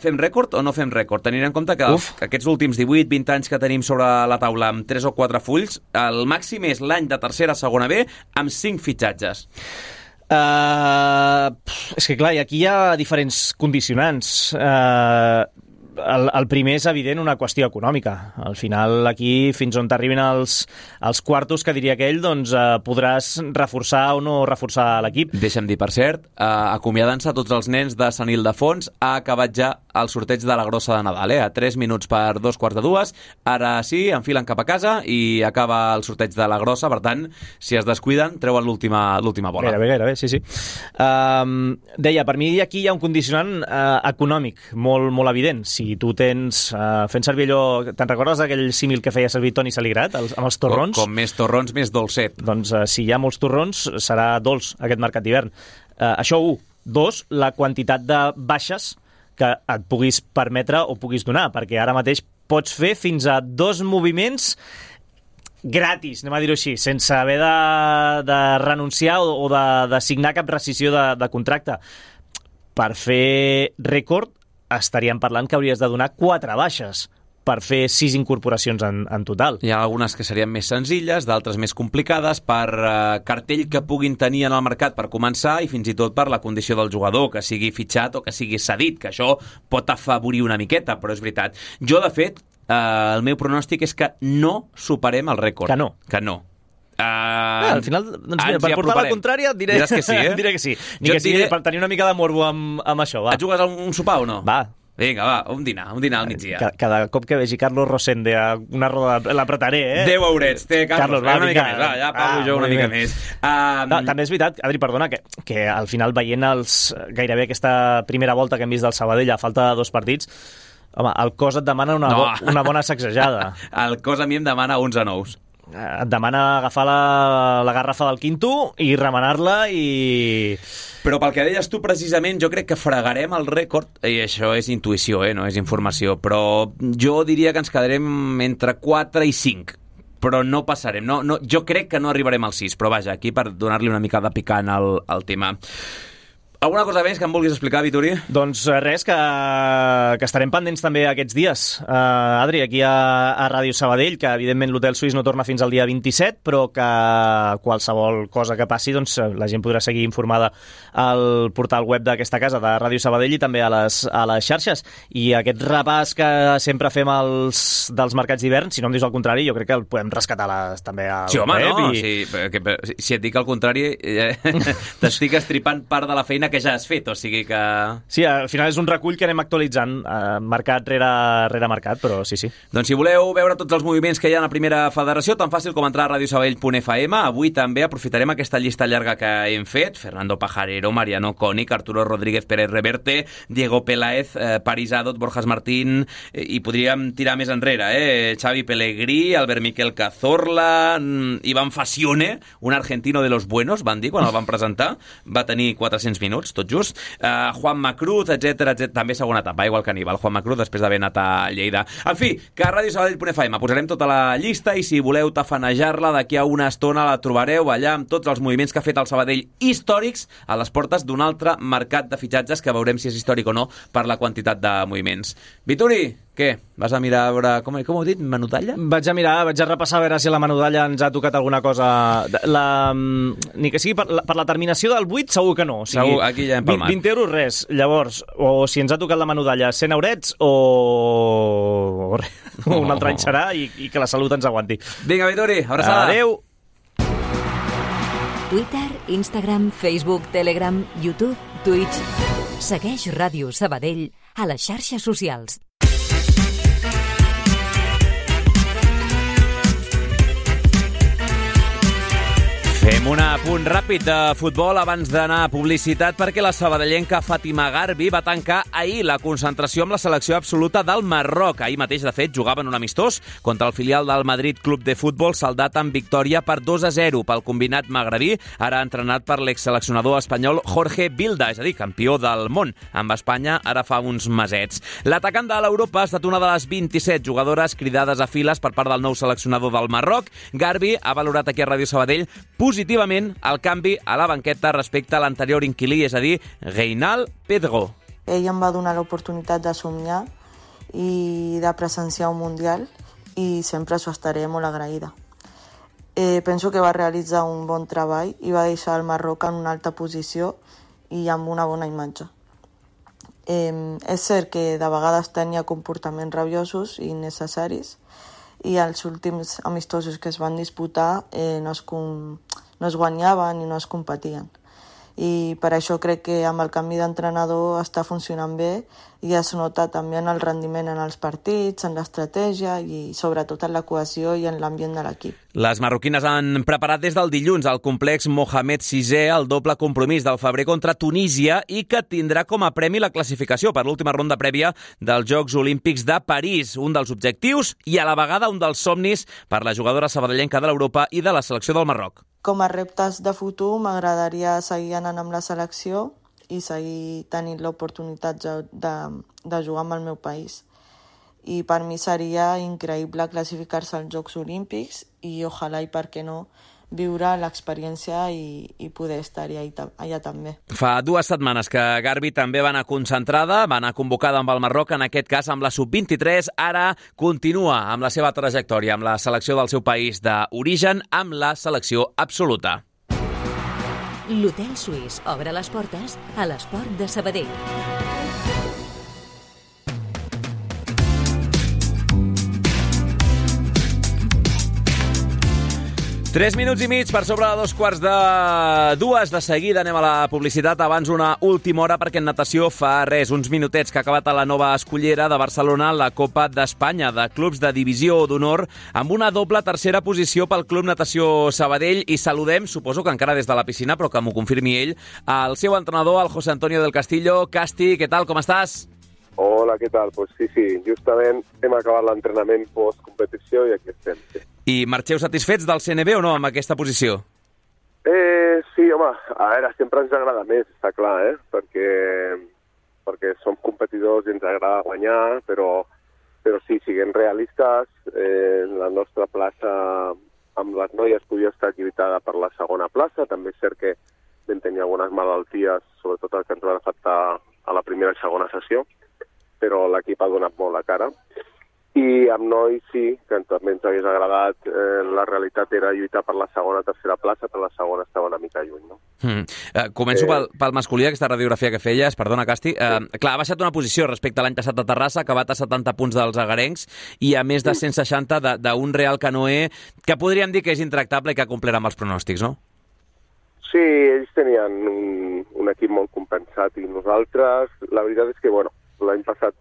Fem rècord o no fem rècord? Tenint en compte que aquests últims 18-20 anys que tenim sobre la taula amb 3 o 4 fulls, el màxim és l'any de tercera a segona B amb 5 fitxatges. És que clar, aquí hi ha diferents condicionants. El primer és evident una qüestió econòmica. Al final aquí, fins on t'arribin els quartos, que diria aquell, doncs podràs reforçar o no reforçar l'equip. Deixa'm dir, per cert, acomiadant-se tots els nens de Sant Ildefons, ha acabat ja el sorteig de la grossa de Nadal, a 3 minuts per 2:45. Ara sí, enfilen cap a casa i acaba el sorteig de la grossa, per tant, si es descuiden, treuen l'última bola. Gairebé, sí. Deia, per mi aquí hi ha un condicionant econòmic molt, molt evident. Si tu tens, fent servir allò, te'n recordes d'aquell símil que feia servir Toni Saligrat, amb els torrons? Com més torrons, més dolcet. Doncs si hi ha molts torrons, serà dolç aquest mercat d'hivern. Això 1. 2, la quantitat de baixes que et puguis permetre o puguis donar, perquè ara mateix pots fer fins a 2 moviments gratis, anem a dir-ho així, sense haver de renunciar o de signar cap rescissió de contracte. Per fer rècord estaríem parlant que hauries de donar 4 baixes per fer 6 incorporacions en total. Hi ha algunes que serien més senzilles, d'altres més complicades, per cartell que puguin tenir en el mercat per començar i fins i tot per la condició del jugador, que sigui fitxat o que sigui cedit, que això pot afavorir una miqueta, però és veritat. Jo, de fet, el meu pronòstic és que no superem el rècord. Que no. Al final, doncs mira, per portar la contrària diré que sí, diré que sí. Ni que sigui per tenir una mica de morbo amb això, va. Et jugues a un sopar o no? Va. Vinga, va, un dinar al migdia. Cada cop que vegi Carlos Rosende a una roda l'apretaré, 10 eurets, té Carlos, va, una mica més, va, ja pago jo una mica més. També és veritat, Adri, perdona, que al final veient gairebé aquesta primera volta que hem vist del Sabadell a falta de 2 partits, home, el cos et demana una bona sacsejada. El cos a mi em demana 11 nous. Et demana agafar la garrafa del Quinto i remenar-la i... Però pel que deies tu precisament, jo crec que fregarem el rècord, i això és intuïció, no és informació, però jo diria que ens quedarem entre 4 i 5, però no passarem. Jo crec que no arribarem al 6, però vaja, aquí per donar-li una mica de picant al tema. Alguna cosa més que em vulguis explicar, Vituri? Doncs res, que estarem pendents també aquests dies. Adri, aquí a Ràdio Sabadell, que evidentment l'Hotel Suís no torna fins al dia 27, però que qualsevol cosa que passi, doncs la gent podrà seguir informada al portal web d'aquesta casa, de Ràdio Sabadell, i també a les xarxes. I aquest repàs que sempre fem dels mercats d'hivern, si no em dius el contrari, jo crec que el podem rescatar també al sí, home, web. No, si et dic el contrari, t'estic estripant part de la feina que ja has fet, o sigui que... Sí, al final és un recull que anem actualitzant mercat rere mercat, però sí. Doncs si voleu veure tots els moviments que hi ha a la primera federació, tan fàcil com entrar a radiosabadell.fm. Avui també aprofitarem aquesta llista llarga que hem fet. Fernando Pajarero, Mariano Conic, Arturo Rodríguez Pérez Reverte, Diego Peláez, Paris Adot, Borjas Martín, i podríem tirar més enrere, Xavi Pellegrí, Albert Miquel Cazorla, Iván Facione, un argentino de los buenos, van dir quan el van presentar, va tenir 400 minuts, tot just, Juan Macruz, etc. També segona etapa, igual que Aníbal, Juan Macruz, després d'haver anat a Lleida. En fi, que a radiosabadell.fm posarem tota la llista i si voleu tafanejar-la d'aquí a una estona la trobareu allà amb tots els moviments que ha fet el Sabadell històrics a les portes d'un altre mercat de fitxatges que veurem si és històric o no per la quantitat de moviments. Vituri, què? Vas a mirar a veure... Com ho heu dit? Menudalla? Vaig a repassar a veure si a la menudalla ens ha tocat alguna cosa. Ni que sigui per la terminació del 8, segur que no. O sigui, segur, aquí ja hem palmat. 20 euros, res. Llavors, o si ens ha tocat la menudalla 100 eurets o un altre any serà i que la salut ens aguanti. Vinga, Vituri, abraçada. Adéu. Twitter, Instagram, Facebook, Telegram, YouTube, Twitch. Segueix Ràdio Sabadell a les xarxes socials. Fem un apunt ràpid de futbol abans d'anar a publicitat perquè la sabadellenca Fàtima Garbi va tancar ahir la concentració amb la selecció absoluta del Marroc. Ahir mateix, de fet, jugaven un amistós contra el filial del Madrid Club de Futbol, saldat amb victòria per 2-0 pel combinat magrebí, ara entrenat per l'exseleccionador espanyol Jorge Vilda, és a dir, campió del món amb Espanya ara fa uns mesets. L'atacant de l'Europa ha estat una de les 27 jugadores cridades a files per part del nou seleccionador del Marroc. Garbi ha valorat aquí a Ràdio Sabadell positivament el canvi a la banqueta respecte a l'anterior inquilí, és a dir, Reinald Pedro. Ell em va donar l'oportunitat de somniar i de presenciar un Mundial i sempre s'ho estaré molt agraïda. Penso que va realitzar un bon treball i va deixar el Marroc en una alta posició i amb una bona imatge. És cert que de vegades tenia comportaments rabiosos i innecessaris i els últims amistosos que es van disputar no es guanyaven i no es competien. I per això crec que amb el canvi d'entrenador està funcionant bé i es nota també en el rendiment en els partits, en l'estratègia i sobretot en la cohesió i en l'ambient de l'equip. Les marroquines han preparat des del dilluns al complex Mohamed VI el doble compromís del febrer contra Tunísia i que tindrà com a premi la classificació per l'última ronda prèvia dels Jocs Olímpics de París, un dels objectius i a la vegada un dels somnis per la jugadora sabadellenca de l'Europa i de la selecció del Marroc. Com a reptes de futur m'agradaria seguir anant amb la selecció i seguir tenint l'oportunitat de jugar amb el meu país. I per mi seria increïble classificar-se als Jocs Olímpics i ojalà i per què no viure l'experiència i poder estar-hi allà també. Fa 2 setmanes que Garbi també va anar concentrada, va anar convocada amb el Marroc, en aquest cas amb la Sub-23, ara continua amb la seva trajectòria, amb la selecció del seu país d'origen, amb la selecció absoluta. L'Hotel Suís obre les portes a l'esport de Sabadell. 3 minuts i mig per sobre de 2:15 de seguida. Anem a la publicitat. Abans una última hora perquè en natació fa uns minutets que ha acabat a la Nova Escullera de Barcelona la Copa d'Espanya de clubs de divisió d'honor amb una doble tercera posició pel Club Natació Sabadell i saludem, suposo que encara des de la piscina, però que m'ho confirmi ell, el seu entrenador, el José Antonio del Castillo. Casti, què tal, com estàs? Hola, què tal? Pues sí, justament hem acabat l'entrenament post-competició i aquí estem. Sí. I marxeu satisfets del CNB o no amb aquesta posició? Sí, home, a veure, sempre ens agrada més, està clar, perquè som competidors i ens agrada guanyar, però sí, siguem realistes, la nostra plaça amb les noies podia estar lluitada per la segona plaça, també és cert que vam tenir algunes malalties, sobretot el que ens van afectar a la primera i segona sessió, però l'equip ha donat molt la cara. I amb nois sí, que també ens hagués agradat, la realitat era lluitar per la segona o tercera plaça, però la segona estava una mica lluny, no? Començo pel masculí, aquesta radiografia que feies, perdona, Casti. Clar, ha baixat una posició respecte a l'any passat a Terrassa, ha acabat a 70 punts dels agarencs i a més de 160 d'un Real Canoe que podríem dir que és intractable i que ha complert amb els pronòstics, no? Sí, ells tenien un equip molt compensat i nosaltres, la veritat és que, bueno, l'any passat,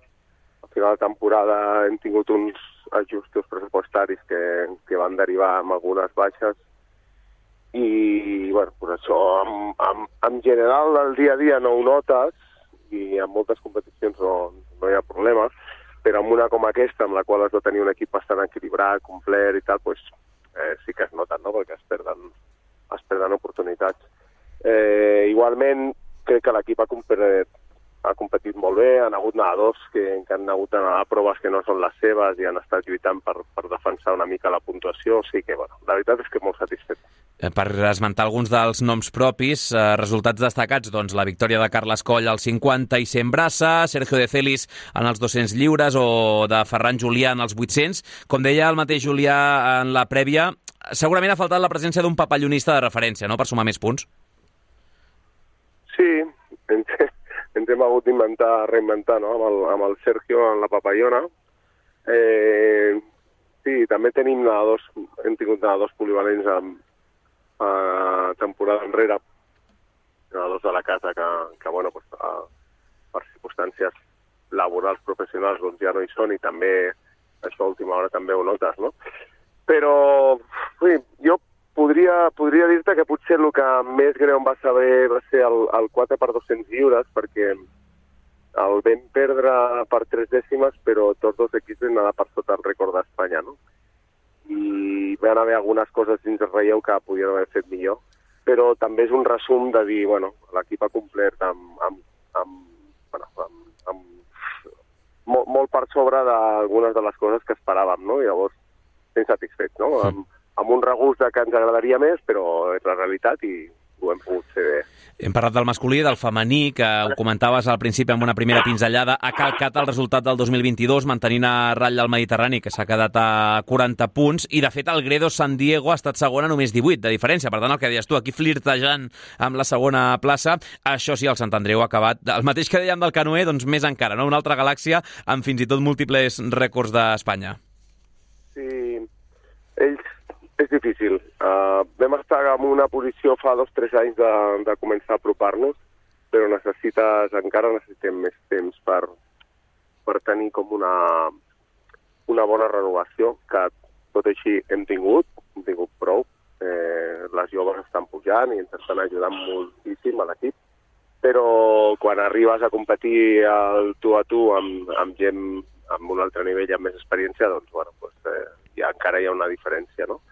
al final de temporada, hem tingut uns ajustos pressupostaris que van derivar amb algunes baixes i, bueno, pues això, en general, el dia a dia no ho notes i en moltes competicions no hi ha problema, però en una com aquesta, amb la qual has de tenir un equip bastant equilibrat, complet i tal, pues, sí que es noten, no?, perquè es perden oportunitats. Igualment, crec que l'equip ha competit molt bé, han hagut nedadors que han hagut d'anar a proves que no són les seves i han estat lluitant per defensar una mica la puntuació, o sigui que, bueno, la veritat és que molt satisfet. Per esmentar alguns dels noms propis, resultats destacats, doncs la victòria de Carles Coll als 50 i 100 braça, Sergio de Celis en els 200 lliures o de Ferran Julià en els 800. Com deia el mateix Julià en la prèvia, segurament ha faltat la presència d'un papallonista de referència, no?, per sumar més punts. Sí, ens hem hagut reinventar, no?, amb el Sergio en la papallona. Sí, també hem tingut nedadors polivalents temporada enrere, nedadors de la casa que bueno, pues, per circumstàncies laborals professionals doncs ja no hi són i també això a última hora també ho notes, no? Però jo podria dir-te que potser el que més greu em va saber va ser el 4x200 lliures, perquè el vam perdre per 3 dècimes, però tots dos equips vam anar per sota el rècord d'Espanya, no? I van haver algunes coses dins el relleu que podien haver fet millor, però també és un resum de dir, bueno, l'equip ha complert molt per sobre d'algunes de les coses que esperàvem, no? I llavors estem satisfets, no? Amb un regust que ens agradaria més, però és la realitat i ho hem pogut fer bé. Hem parlat del masculí, del femení, que ho comentaves al principi amb una primera pinzellada. Ha calcat el resultat del 2022, mantenint a ratlla el Mediterrani, que s'ha quedat a 40 punts, i de fet el Gredos San Diego ha estat segon a només 18 de diferència. Per tant, el que deies tu, aquí flirtejant amb la segona plaça. Això sí, el Sant Andreu ha acabat. El mateix que dèiem del canoe, doncs més encara, no? Una altra galàxia amb fins i tot múltiples rècords d'Espanya. Sí, és difícil. Vam estar en una posició fa 2 o 3 anys de començar a apropar-nos, però encara necessitem més temps per tenir com una bona renovació, que tot així hem tingut prou. Les joves estan pujant i ens estan ajudant moltíssim a l'equip, però quan arribes a competir al tu a tu amb gent amb un altre nivell i amb més experiència, doncs, bueno, encara hi ha una diferència, no?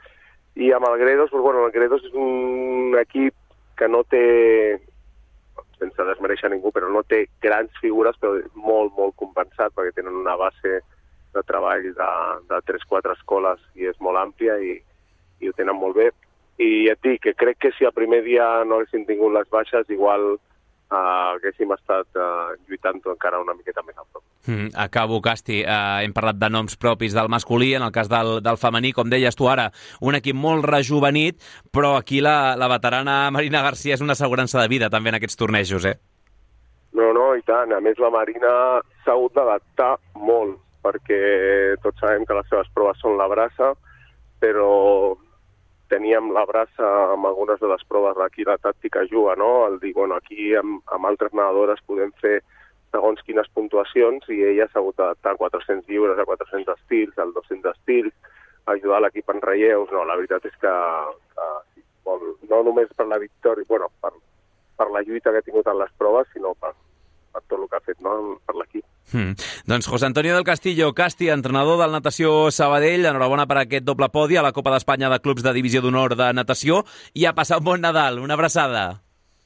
I amb el Gredos, el Gredos és un equip que no té, sense desmereixer ningú, però no té grans figures, però molt, molt compensat, perquè tenen una base de treball de 3-4 escoles i és molt àmplia i ho tenen molt bé. I et dic que crec que si el primer dia no haguéssim tingut les baixes, igual haguéssim estat lluitant encara una miqueta més a prop. Acabo, Casti. Hem parlat de noms propis del masculí, en el cas del femení, com deies tu ara, un equip molt rejuvenit, però aquí la veterana Marina Garcia és una assegurança de vida també en aquests tornejos, eh? No, i tant. A més, la Marina s'ha hagut d'adaptar molt, perquè tots sabem que les seves proves són la braça, però teníem la braça amb algunes de les proves d'aquí la tàctica juga, no? El dir, bueno, aquí amb altres nedadores podem fer segons quines puntuacions i ella s'ha hagut d'adaptar a 400 lliures, a 400 estils, al 200 estils, ajudar l'equip en relleus. No, la veritat és que no només per la victòria, bueno, per la lluita que ha tingut en les proves, sinó per tot el que ha fet, no?, per l'equip. Doncs José Antonio del Castillo, Casti, entrenador del Natació Sabadell, enhorabona per aquest doble podi a la Copa d'Espanya de Clubs de Divisió d'Honor de Natació i a passar un bon Nadal. Una abraçada.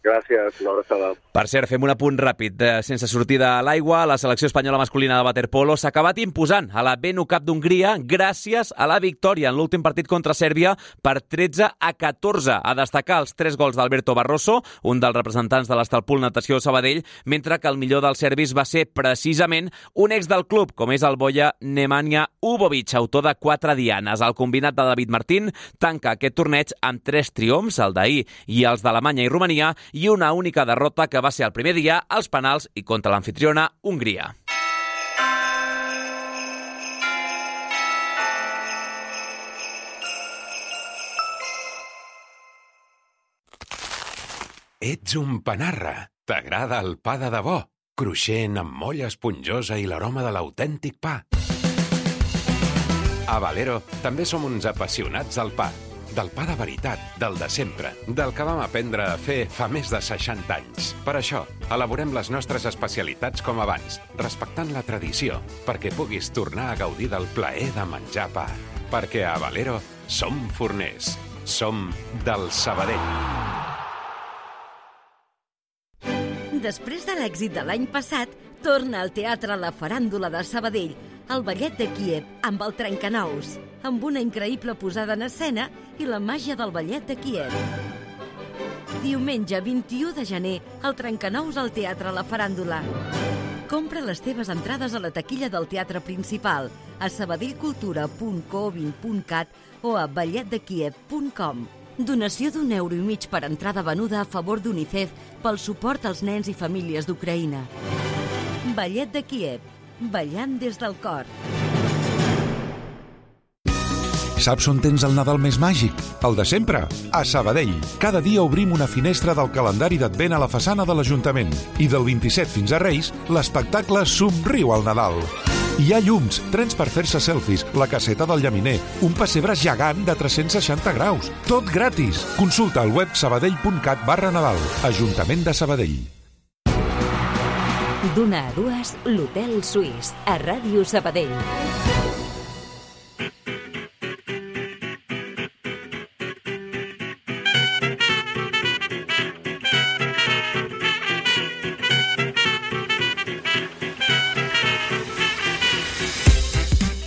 Gràcies, una abraçada. Per cert, fem un apunt ràpid. Sense sortida a l'aigua, la selecció espanyola masculina de waterpolo s'ha acabat imposant a la BNU Cup d'Hongria gràcies a la victòria en l'últim partit contra Sèrbia per 13-14. A destacar els 3 gols d'Alberto Barroso, un dels representants de l'Estalpul Natació Sabadell, mentre que el millor dels serbis va ser precisament un ex del club, com és el boia Nemanja Ubovic, autor de 4 dianes. El combinat de David Martín tanca aquest torneig amb 3 triomfs, el d'ahir i els d'Alemanya i Romania, i una única derrota que va ser el primer dia als penals i contra l'anfitriona Hongria. Ets un panarra. T'agrada el pa de debò? Cruixent, amb molla esponjosa i l'aroma de l'autèntic pa. A Valero també som uns apassionats del pa. Del pa de veritat, del de sempre, del que vam aprendre a fer fa més de 60 anys. Per això, elaborem les nostres especialitats com abans, respectant la tradició, perquè puguis tornar a gaudir del plaer de menjar pa. Perquè a Valero som forners. Som del Sabadell. Després de l'èxit de l'any passat, torna al Teatre La Faràndula de Sabadell, el Ballet de Kíev amb el Trencanous, amb una increïble posada en escena i la màgia del Ballet de Kíev. Diumenge 21 de gener, el Trencanous al Teatre La Faràndula. Compra les teves entrades a la taquilla del teatre principal, a sabadellcultura.co20.cat o a balletdekiev.com. Donació d'1,5 € per entrada venuda a favor d'UNICEF pel suport als nens i famílies d'Ucraïna. Ballet de Kíev, ballant des del cor. Saps on tens el Nadal més màgic? El de sempre, a Sabadell. Cada dia obrim una finestra del calendari d'Advent a la façana de l'Ajuntament. I del 27 fins a Reis, l'espectacle Somriu al Nadal. Hi ha llums, trens per fer-se selfies, la caseta del llaminer, un pessebre gegant de 360 graus. Tot gratis. Consulta al web sabadell.cat/Nadal. Ajuntament de Sabadell. D'una a dues, l'Hotel Suís, a Ràdio Sabadell.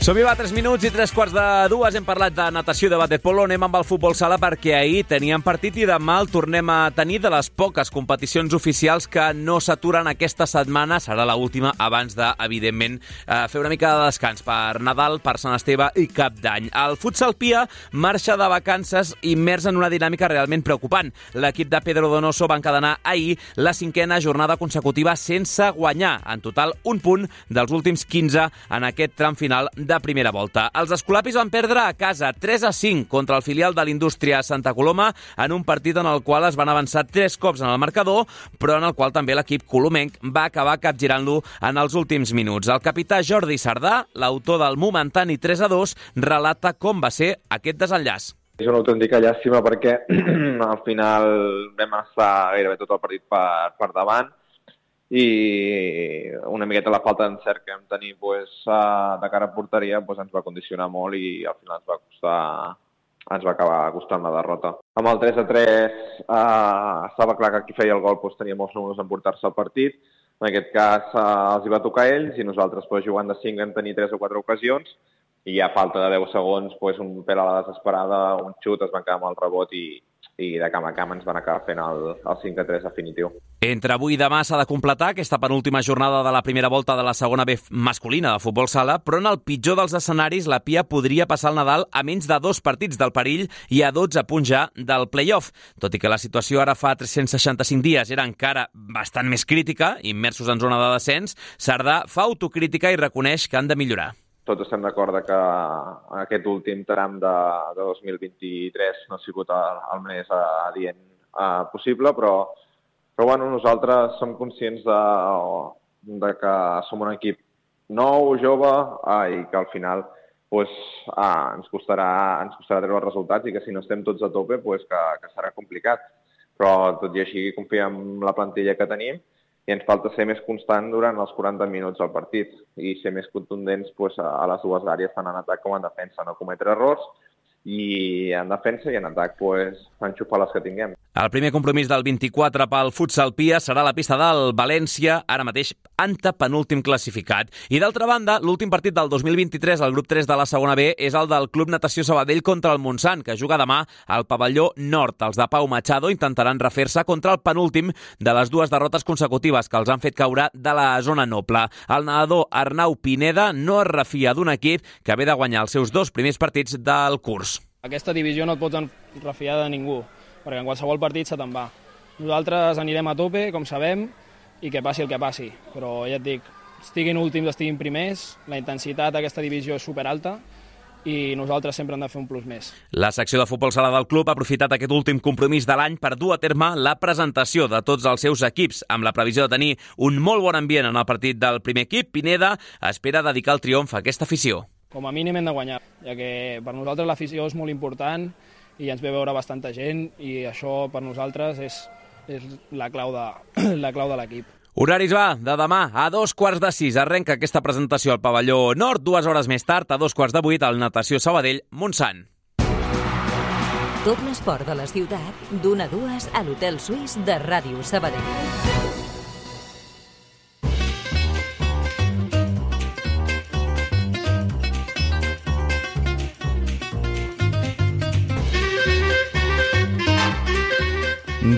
Som-hi, va, 3 minuts i 3:15. Hem parlat de natació i de waterpolo. Anem amb el futbol sala perquè ahir teníem partit i demà el tornem a tenir, de les poques competicions oficials que no s'aturen aquesta setmana. Serà l'última abans de, evidentment, fer una mica de descans per Nadal, per Sant Esteve i Cap d'Any. El futsal Pia marxa de vacances immers en una dinàmica realment preocupant. L'equip de Pedro Donoso va encadenar ahir la 5a jornada consecutiva sense guanyar. En total, un punt dels últims 15 en aquest tram final de primera volta. Els escolapis van perdre a casa 3-5 contra el filial de l'Indústria Santa Coloma en un partit en el qual es van avançar 3 cops en el marcador, però en el qual també l'equip colomenc va acabar capgirant-lo en els últims minuts. El capità Jordi Sardà, l'autor del momentani 3-2, relata com va ser aquest desenllaç. És una autèntica llàstima perquè al final vam estar gairebé tot el partit per davant i una miqueta la falta d'encert que vam tenir de cara a porteria ens va condicionar molt i al final ens va acabar costant la derrota. Amb el 3-3 estava clar que qui feia el gol tenia molts números en portar-se el partit. En aquest cas els hi va tocar a ells i nosaltres jugant de 5 vam tenir 3 o 4 ocasions i a falta de 10 segons un pèl a la desesperada, un xut, es van quedar amb el rebot i de camp a camp ens van acabar fent el 5-3 definitiu. Entre avui i demà s'ha de completar aquesta penúltima jornada de la primera volta de la segona B masculina de futbol sala, però en el pitjor dels escenaris la Pia podria passar el Nadal a menys de 2 partits del perill i a 12 punts ja del play-off. Tot i que la situació ara fa 365 dies era encara bastant més crítica, immersos en zona de descens, Sardà fa autocrítica i reconeix que han de millorar. Tots estem d'acord que aquest últim tram de 2023 no ha sigut el més adient possible, però nosaltres som conscients de que som un equip nou, jove, i que al final ens costarà treure els resultats i que si no estem tots a tope que serà complicat. Però tot i així confiem en la plantilla que tenim i ens falta ser més constant durant els 40 minuts del partit i ser més contundents a les dues àrees, tant en atac com en defensa, no cometre errors i en defensa i en atac enxufar les que tinguem. El primer compromís del 24 pel futsal Pia serà a la pista del València, ara mateix antepenúltim classificat. I d'altra banda, l'últim partit del 2023 al grup 3 de la segona B és el del Club Natació Sabadell contra el Montsant, que juga demà al pavelló nord. Els de Pau Machado intentaran refer-se contra el penúltim de les dues derrotes consecutives que els han fet caure de la zona noble. El nedador Arnau Pineda no es refia d'un equip que ve de guanyar els seus 2 primers partits del curs. Aquesta divisió no et pots refiar de ningú, perquè en qualsevol partit se te'n va. Nosaltres anirem a tope, com sabem, i que passi el que passi. Però ja et dic, estiguin últims, estiguin primers, la intensitat d'aquesta divisió és superalta i nosaltres sempre hem de fer un plus més. La secció de futbol sala del club ha aprofitat aquest últim compromís de l'any per dur a terme la presentació de tots els seus equips. Amb la previsió de tenir un molt bon ambient en el partit del primer equip, Pineda espera dedicar el triomf a aquesta afició. Com a mínim hem de guanyar, ja que per nosaltres l'afició és molt important i ens ve veure bastanta gent i això per nosaltres és la clau de l'equip. Horaris de demà a 5:15. Arrenca aquesta presentació al pavelló nord. 2 hores més tard, a 7:45, al Natació Sabadell, Montsant. Tot l'esport de la ciutat, d'1 a 2 a l'Hotel Suís de Ràdio Sabadell.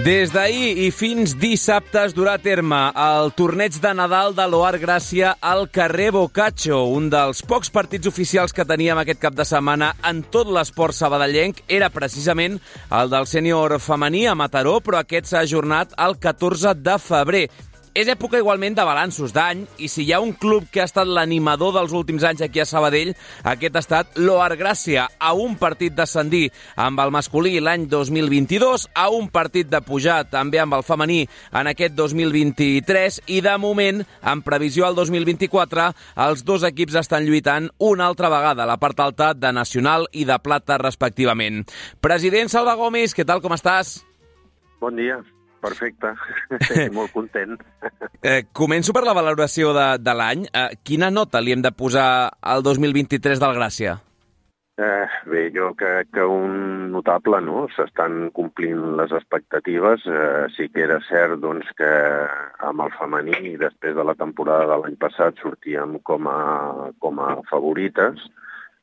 Des d'ahir i fins dissabte es durà a terme el torneig de Nadal de l'Oar Gràcia al carrer Boccaccio. Un dels pocs partits oficials que teníem aquest cap de setmana en tot l'esport sabadellenc era precisament el del sènior femení a Mataró, però aquest s'ha ajornat el 14 de febrer. És època igualment de balanços d'any i si hi ha un club que ha estat l'animador dels últims anys aquí a Sabadell, aquest ha estat l'Oar Gràcia, a un partit d'ascendir amb el masculí l'any 2022, a un partit de pujar també amb el femení en aquest 2023 i de moment, en previsió al 2024, els dos equips estan lluitant una altra vegada a la part alta de Nacional i de Plata respectivament. President Salva Gómez, què tal, com estàs? Bon dia. Perfecte, molt content. Començo per la valoració de l'any. Quina nota li hem de posar al 2023 del Gràcia? Bé, jo crec que un notable, no? S'estan complint les expectatives. Sí que era cert doncs, que amb el femení, després de la temporada de l'any passat, sortíem com a favorites,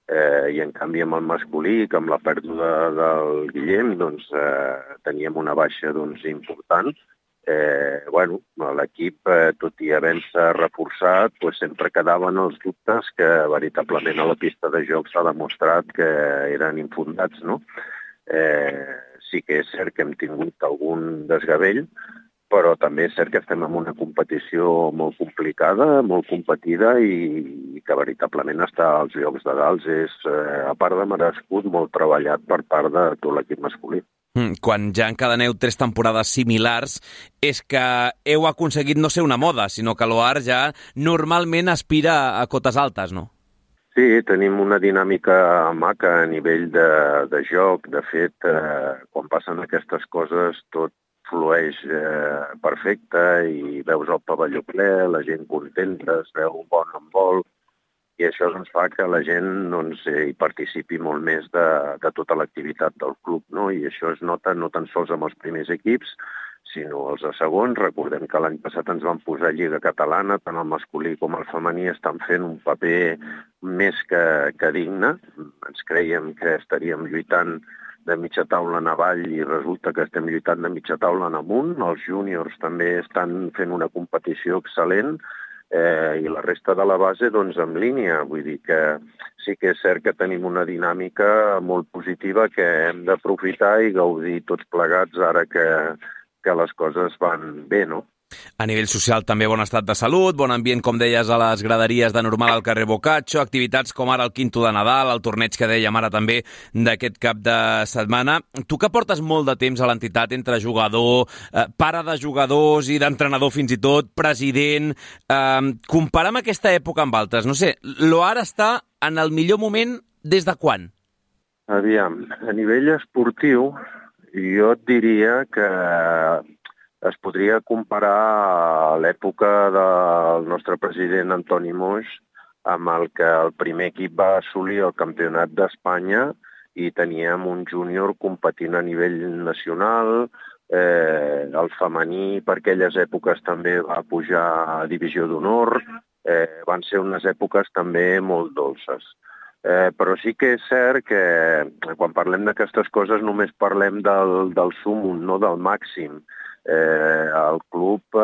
i en canvi amb el masculí, que amb la pèrdua del Guillem, doncs, teníem una baixa important. L'equip, tot i havent-se reforçat, sempre quedaven els dubtes que veritablement a la pista de joc s'ha demostrat que eren infundats, no? Sí que és cert que hem tingut algun desgavell, però també és cert que estem en una competició molt complicada, molt competida i que veritablement estar als llocs de dalt és, a part de merescut, molt treballat per part de tot l'equip masculí. Quan ja encadeneu 3 temporades similars, és que heu aconseguit no ser una moda, sinó que l'Oar ja normalment aspira a cotes altes, no? Sí, tenim una dinàmica maca a nivell de joc. De fet, quan passen aquestes coses, tot flueix perfecte i veus el pavelló ple, la gent contenta, es veu bon handbol i això doncs, fa que la gent hi participi molt més de tota l'activitat del club, no? I això es nota no tan sols amb els primers equips, sinó els segons. Recordem que l'any passat ens van posar Lliga Catalana, tant el masculí com el femení estan fent un paper més que digne. Ens creiem que estaríem lluitant de mitja taula en avall i resulta que estem lluitant de mitja taula en amunt. Els júniors també estan fent una competició excel·lent i la resta de la base doncs en línia. Vull dir que sí que és cert que tenim una dinàmica molt positiva que hem d'aprofitar i gaudir tots plegats ara que les coses van bé, no? A nivell social també bon estat de salut, bon ambient, com deies, a les graderies de normal al carrer Boccaccio, activitats com ara el Quinto de Nadal, el torneig que dèiem ara també d'aquest cap de setmana. Tu que portes molt de temps a l'entitat entre jugador, pare de jugadors i d'entrenador fins i tot, president, compara amb aquesta època amb altres. No sé, l'Oar està en el millor moment des de quan? Aviam, a nivell esportiu jo et diria que es podria comparar a l'època del nostre president Antoni Moix amb el que el primer equip va assolir el campionat d'Espanya i teníem un júnior competint a nivell nacional, el femení per aquelles èpoques també va pujar a Divisió d'Honor, van ser unes èpoques també molt dolces. Però sí que és cert que quan parlem d'aquestes coses només parlem del súmum, no del màxim. El club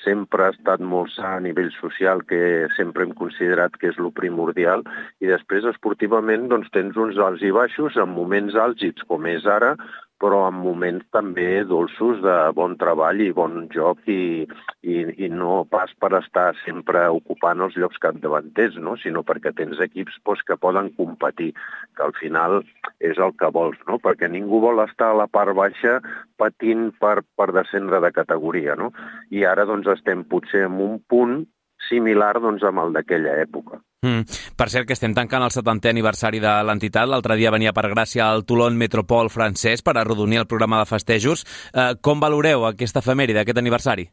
sempre ha estat molt sa a nivell social, que sempre hem considerat que és lo primordial, i després esportivament doncs, tens uns alts i baixos, en moments àlgids com és ara, però en moments també dolços de bon treball i bon joc i no pas per estar sempre ocupant els llocs capdavanters, no? Sinó perquè tens equips que poden competir, que al final és el que vols, no? Perquè ningú vol estar a la part baixa patint per descendre de categoria, no? I ara doncs, estem potser en un punt similar doncs, amb el d'aquella època. Per cert, que estem tancant el 70è aniversari de l'entitat. L'altre dia venia per Gràcia el Toulon Metropol francès per arrodonir el programa de festejos. Com valoreu aquesta efemèride, aquest aniversari?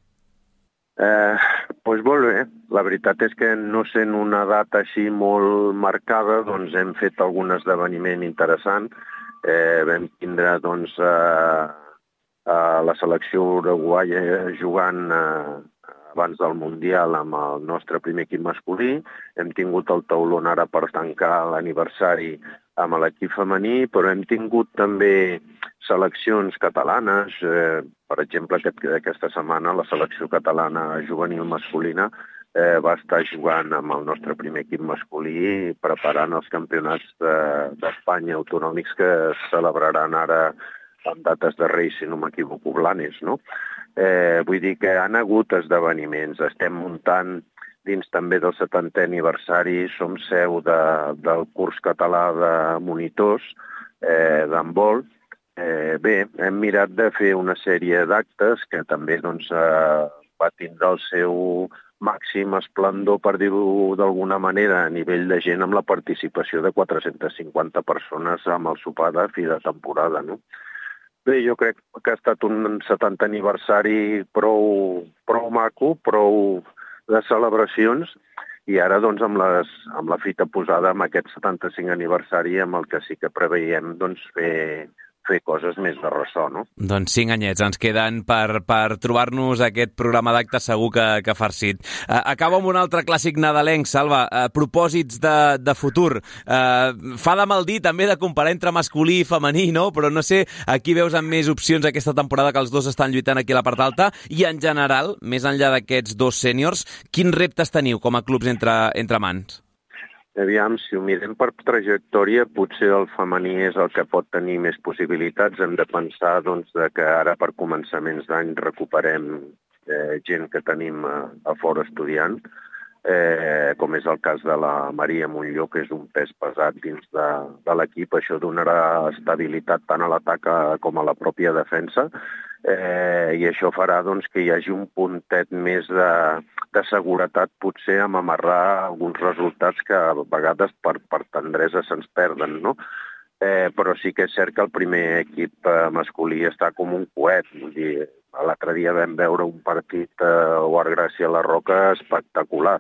Doncs molt bé. La veritat és que no sent una data així molt marcada, doncs hem fet algun esdeveniment interessant. Vam tindre doncs, la selecció uruguaia jugant abans del Mundial amb el nostre primer equip masculí. Hem tingut el taulon ara per tancar l'aniversari amb l'equip femení, però hem tingut també seleccions catalanes. Per exemple, aquesta setmana la selecció catalana juvenil masculina va estar jugant amb el nostre primer equip masculí preparant els campionats d'Espanya autonòmics que es celebraran ara amb dates de Reis, si no m'equivoco, Blanes, no? Vull dir que han hagut esdeveniments. Estem muntant dins també del 70è aniversari, som seu del curs català de monitors d'handbol. Bé, hem mirat de fer una sèrie d'actes que també doncs, va tindre el seu màxim esplendor, per dir-ho d'alguna manera, a nivell de gent, amb la participació de 450 persones amb el sopar de fi de temporada, no? Bé, jo crec que ha estat un 70è aniversari prou maco, prou de celebracions, i ara doncs, amb la fita posada amb aquest 75è aniversari, amb el que sí que preveiem doncs, fer coses més de ressò, no? Doncs 5 anyets ens queden per trobar-nos aquest programa d'actes segur que farcit. Acabo amb un altre clàssic nadalenc, Salva. Propòsits de futur. Fa de mal dir també de comparar entre masculí i femení, no? Però no sé, aquí veus amb més opcions aquesta temporada que els dos estan lluitant aquí a la part alta, i en general, més enllà d'aquests dos sèniors, quins reptes teniu com a clubs entre mans? Aviam, si ho mirem per trajectòria, potser el femení és el que pot tenir més possibilitats. Hem de pensar doncs, que ara per començaments d'any recuperem gent que tenim a fora estudiant, com és el cas de la Maria Montlló, que és un pes pesat dins de l'equip. Això donarà estabilitat tant a l'atac com a la pròpia defensa, i això farà doncs, que hi hagi un puntet més de seguretat, potser amb amarrar alguns resultats que a vegades per tendresa se'ns perden, no? Però sí que és cert que el primer equip masculí està com un coet. Vull dir, l'altre dia vam veure un partit a Guard Gràcia a la Roca espectacular.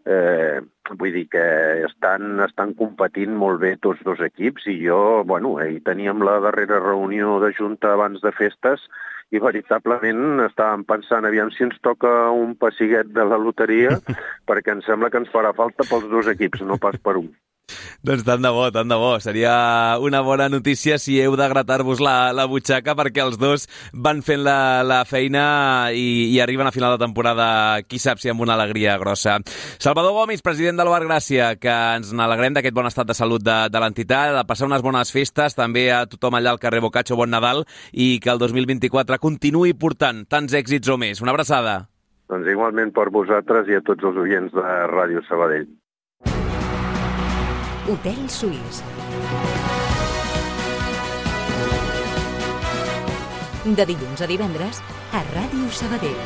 Vull dir que estan competint molt bé tots dos equips, i jo, ahir teníem la darrera reunió de junta abans de festes i veritablement estàvem pensant aviam si ens toca un pessiguet de la loteria, perquè em sembla que ens farà falta pels dos equips, no pas per un. Doncs tant de bo. Seria una bona notícia si heu de gratar-vos la butxaca, perquè els dos van fent la feina i arriben a final de temporada, qui sap si amb una alegria grossa. Salvador Gomis, president del Bar Gràcia, que ens n'alegrem d'aquest bon estat de salut de l'entitat, de passar unes bones festes, també a tothom allà al carrer Boccaccio, bon Nadal, i que el 2024 continuï portant tants èxits o més. Una abraçada. Doncs igualment per vosaltres i a tots els oients de Ràdio Sabadell. Hotel Suís. De dilluns a divendres a Ràdio Sabadell.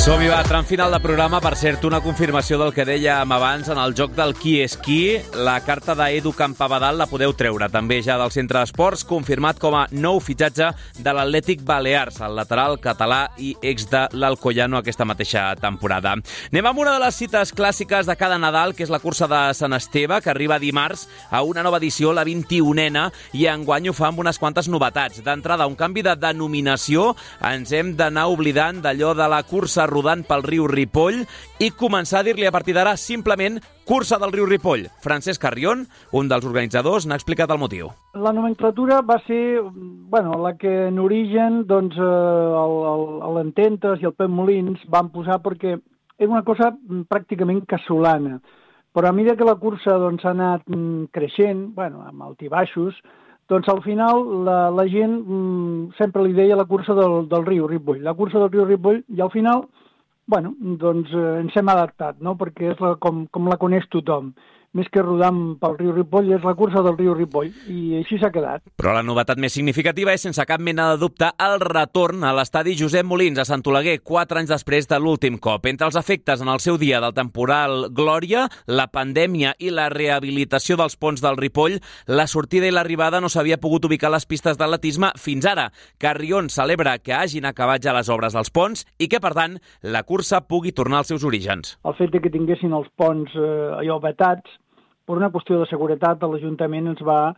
Som-hi, va, tram final de programa. Per cert, una confirmació del que dèiem abans en el joc del qui és qui. La carta d'Edu Campabadal la podeu treure també ja del Centre d'Esports, confirmat com a nou fitxatge de l'Atlètic Balears, el lateral català i ex de l'Alcoyano aquesta mateixa temporada. Anem amb una de les cites clàssiques de cada Nadal, que és la cursa de Sant Esteve, que arriba dimarts a una nova edició, la 21a, i enguany ho fa amb unes quantes novetats. D'entrada, un canvi de denominació. Ens hem d'anar oblidant d'allò de la cursa rodant pel riu Ripoll i començar a dir-li a partir d'ara simplement cursa del riu Ripoll. Francesc Carrion, un dels organitzadors, n'ha explicat el motiu. La nomenclatura va ser la que en origen l'Ententes i el Pep Molins van posar perquè era una cosa pràcticament casolana. Però a mesura que la cursa ha anat creixent, amb altibaixos, doncs al final la gent sempre li deia la cursa del riu Ripoll. La cursa del riu Ripoll i al final ens hem adaptat, no? Perquè és com la coneix tothom. Més que rodant pel riu Ripoll, és la cursa del riu Ripoll, i així s'ha quedat. Però la novetat més significativa és, sense cap mena de dubte, el retorn a l'estadi Josep Molins, a Sant Oleguer, 4 anys després de l'últim cop. Entre els efectes en el seu dia del temporal Glòria, la pandèmia i la rehabilitació dels ponts del Ripoll, la sortida i l'arribada no s'havia pogut ubicar a les pistes d'atletisme fins ara. Carrion celebra que hagin acabat ja les obres dels ponts i que, per tant, la cursa pugui tornar als seus orígens. El fet que tinguessin els ponts vetats, per una qüestió de seguretat, l'Ajuntament ens va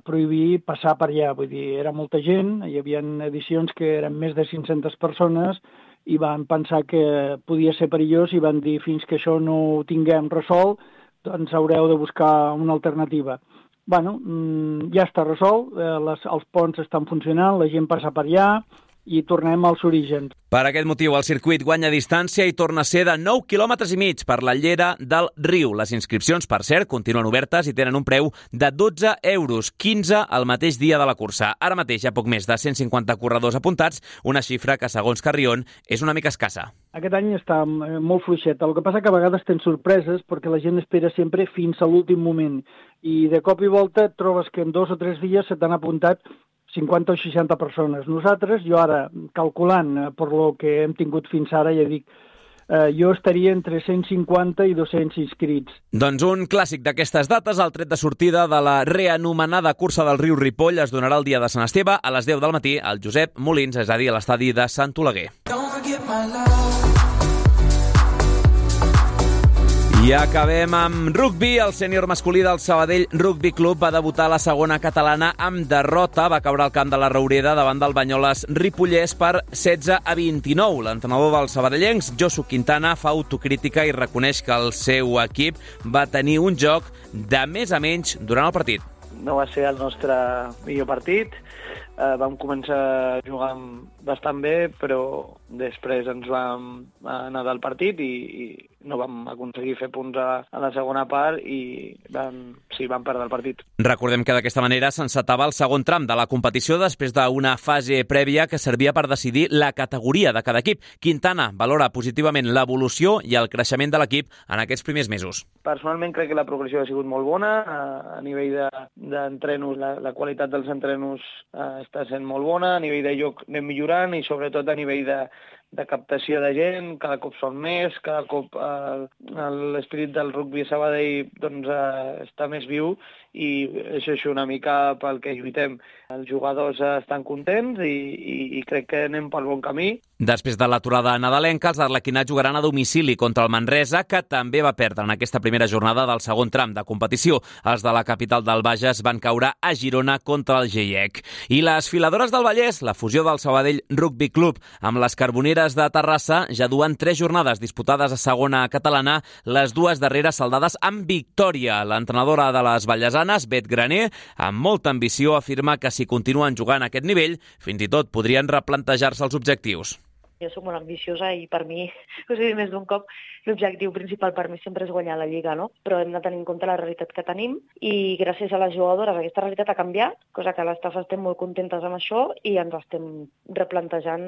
prohibir passar per allà. Vull dir, era molta gent, hi havia edicions que eren més de 500 persones i van pensar que podia ser perillós i van dir fins que això no ho tinguem resolt, doncs haureu de buscar una alternativa. Ja està resolt, els ponts estan funcionant, la gent passa per allà i tornem als orígens. Per aquest motiu, el circuit guanya distància i torna a ser de 9,5 quilòmetres per la llera del riu. Les inscripcions, per cert, continuen obertes i tenen un preu de 12 euros, 15 el mateix dia de la cursa. Ara mateix hi ha poc més de 150 corredors apuntats, una xifra que, segons Carrion, és una mica escassa. Aquest any està molt fluixet. El que passa que a vegades tens sorpreses perquè la gent espera sempre fins a l'últim moment. I de cop i volta et trobes que en 2 o 3 dies se t'han apuntat 50 o 60 persones. Nosaltres, jo ara, calculant per lo que hem tingut fins ara, ja dic, jo estaria entre 150 i 200 inscrits. Doncs un clàssic d'aquestes dates, el tret de sortida de la reanomenada cursa del riu Ripoll, es donarà el dia de Sant Esteve a les 10 del matí al Josep Molins, és a dir, a l'estadi de Sant Oleguer. I acabem amb rugbi. El sènior masculí del Sabadell Rugby Club va debutar a la segona catalana amb derrota. Va caure al camp de la Roureda davant del Banyoles Ripollès per 16-29. L'entrenador dels sabadellencs, Josu Quintana, fa autocrítica i reconeix que el seu equip va tenir un joc de més a menys durant el partit. No va ser el nostre millor partit. Vam començar jugant bastant bé, però després ens vam anar del partit i no vam aconseguir fer punts a la segona part i vam perdre el partit. Recordem que d'aquesta manera s'encetava el segon tram de la competició després d'una fase prèvia que servia per decidir la categoria de cada equip. Quintana valora positivament l'evolució i el creixement de l'equip en aquests primers mesos. Personalment crec que la progressió ha sigut molt bona. A nivell d'entrenos, la qualitat dels entrenos està sent molt bona. A nivell de joc anem millorant i sobretot a nivell de captació de gent, cada cop són més, cada cop l'espírit del rugbi a Sabadell està més viu i això és una mica pel que lluitem. Els jugadors estan contents i crec que anem pel bon camí. Després de l'aturada nadalenca, els arlequinats jugaran a domicili contra el Manresa, que també va perdre en aquesta primera jornada del segon tram de competició. Els de la capital del Bages van caure a Girona contra el GIEC. I les filadores del Vallès, la fusió del Sabadell Rugby Club amb les Carboneres de Terrassa, ja duen 3 jornades disputades a segona catalana, les 2 darreres saldades amb victòria. L'entrenadora de les vallesanes, Bet Graner, amb molta ambició, afirma que si continuen jugant a aquest nivell, fins i tot podrien replantejar-se els objectius. Jo soc molt ambiciosa i per mi, més d'un cop, l'objectiu principal per mi sempre és guanyar la Lliga, no? Però hem de tenir en compte la realitat que tenim i gràcies a les jugadores aquesta realitat ha canviat, cosa que l'estaf estem molt contentes amb això i ens estem replantejant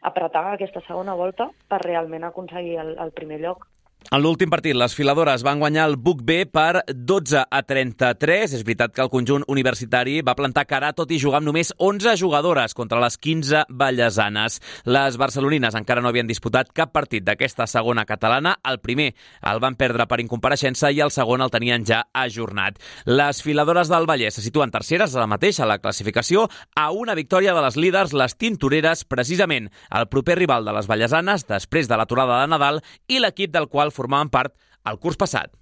apretar aquesta segona volta per realment aconseguir el primer lloc. En l'últim partit, les filadores van guanyar el Buc B per 12-33. És veritat que el conjunt universitari va plantar cara tot i jugar amb només 11 jugadores contra les 15 vallesanes. Les barcelonines encara no havien disputat cap partit d'aquesta segona catalana. El primer el van perdre per incompareixença i el segon el tenien ja ajornat. Les filadores del Vallès se situen terceres ara mateix a la classificació a una victòria de les líders, les tintoreres, precisament el proper rival de les vallesanes després de l'aturada de Nadal i l'equip del qual formaven part el curs passat.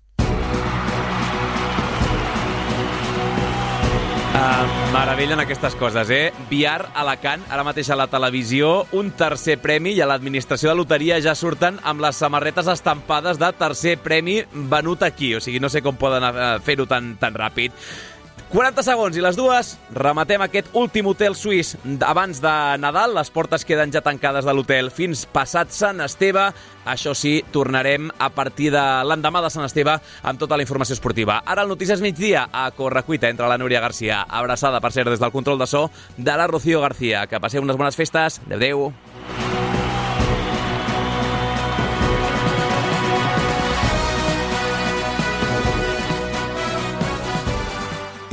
Meravellen aquestes coses, Biar, Alacant, ara mateix a la televisió, un tercer premi i a l'administració de loteria ja surten amb les samarretes estampades de tercer premi venut aquí. O sigui, no sé com poden fer-ho tan ràpid. 40 segons i les dues, rematem aquest últim hotel suís abans de Nadal. Les portes queden ja tancades de l'hotel fins passat Sant Esteve. Això sí, tornarem a partir de l'endemà de Sant Esteve amb tota la informació esportiva. Ara el Notícies Migdia a Correcuita entre la Núria Garcia. Abraçada, per cert, des del control de so de la Rocío García. Que passeu unes bones festes. Adéu.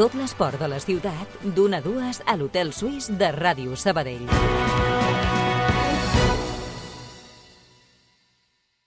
Tot l'esport de la ciutat, d'1 a 2 a l'Hotel Suís de Ràdio Sabadell.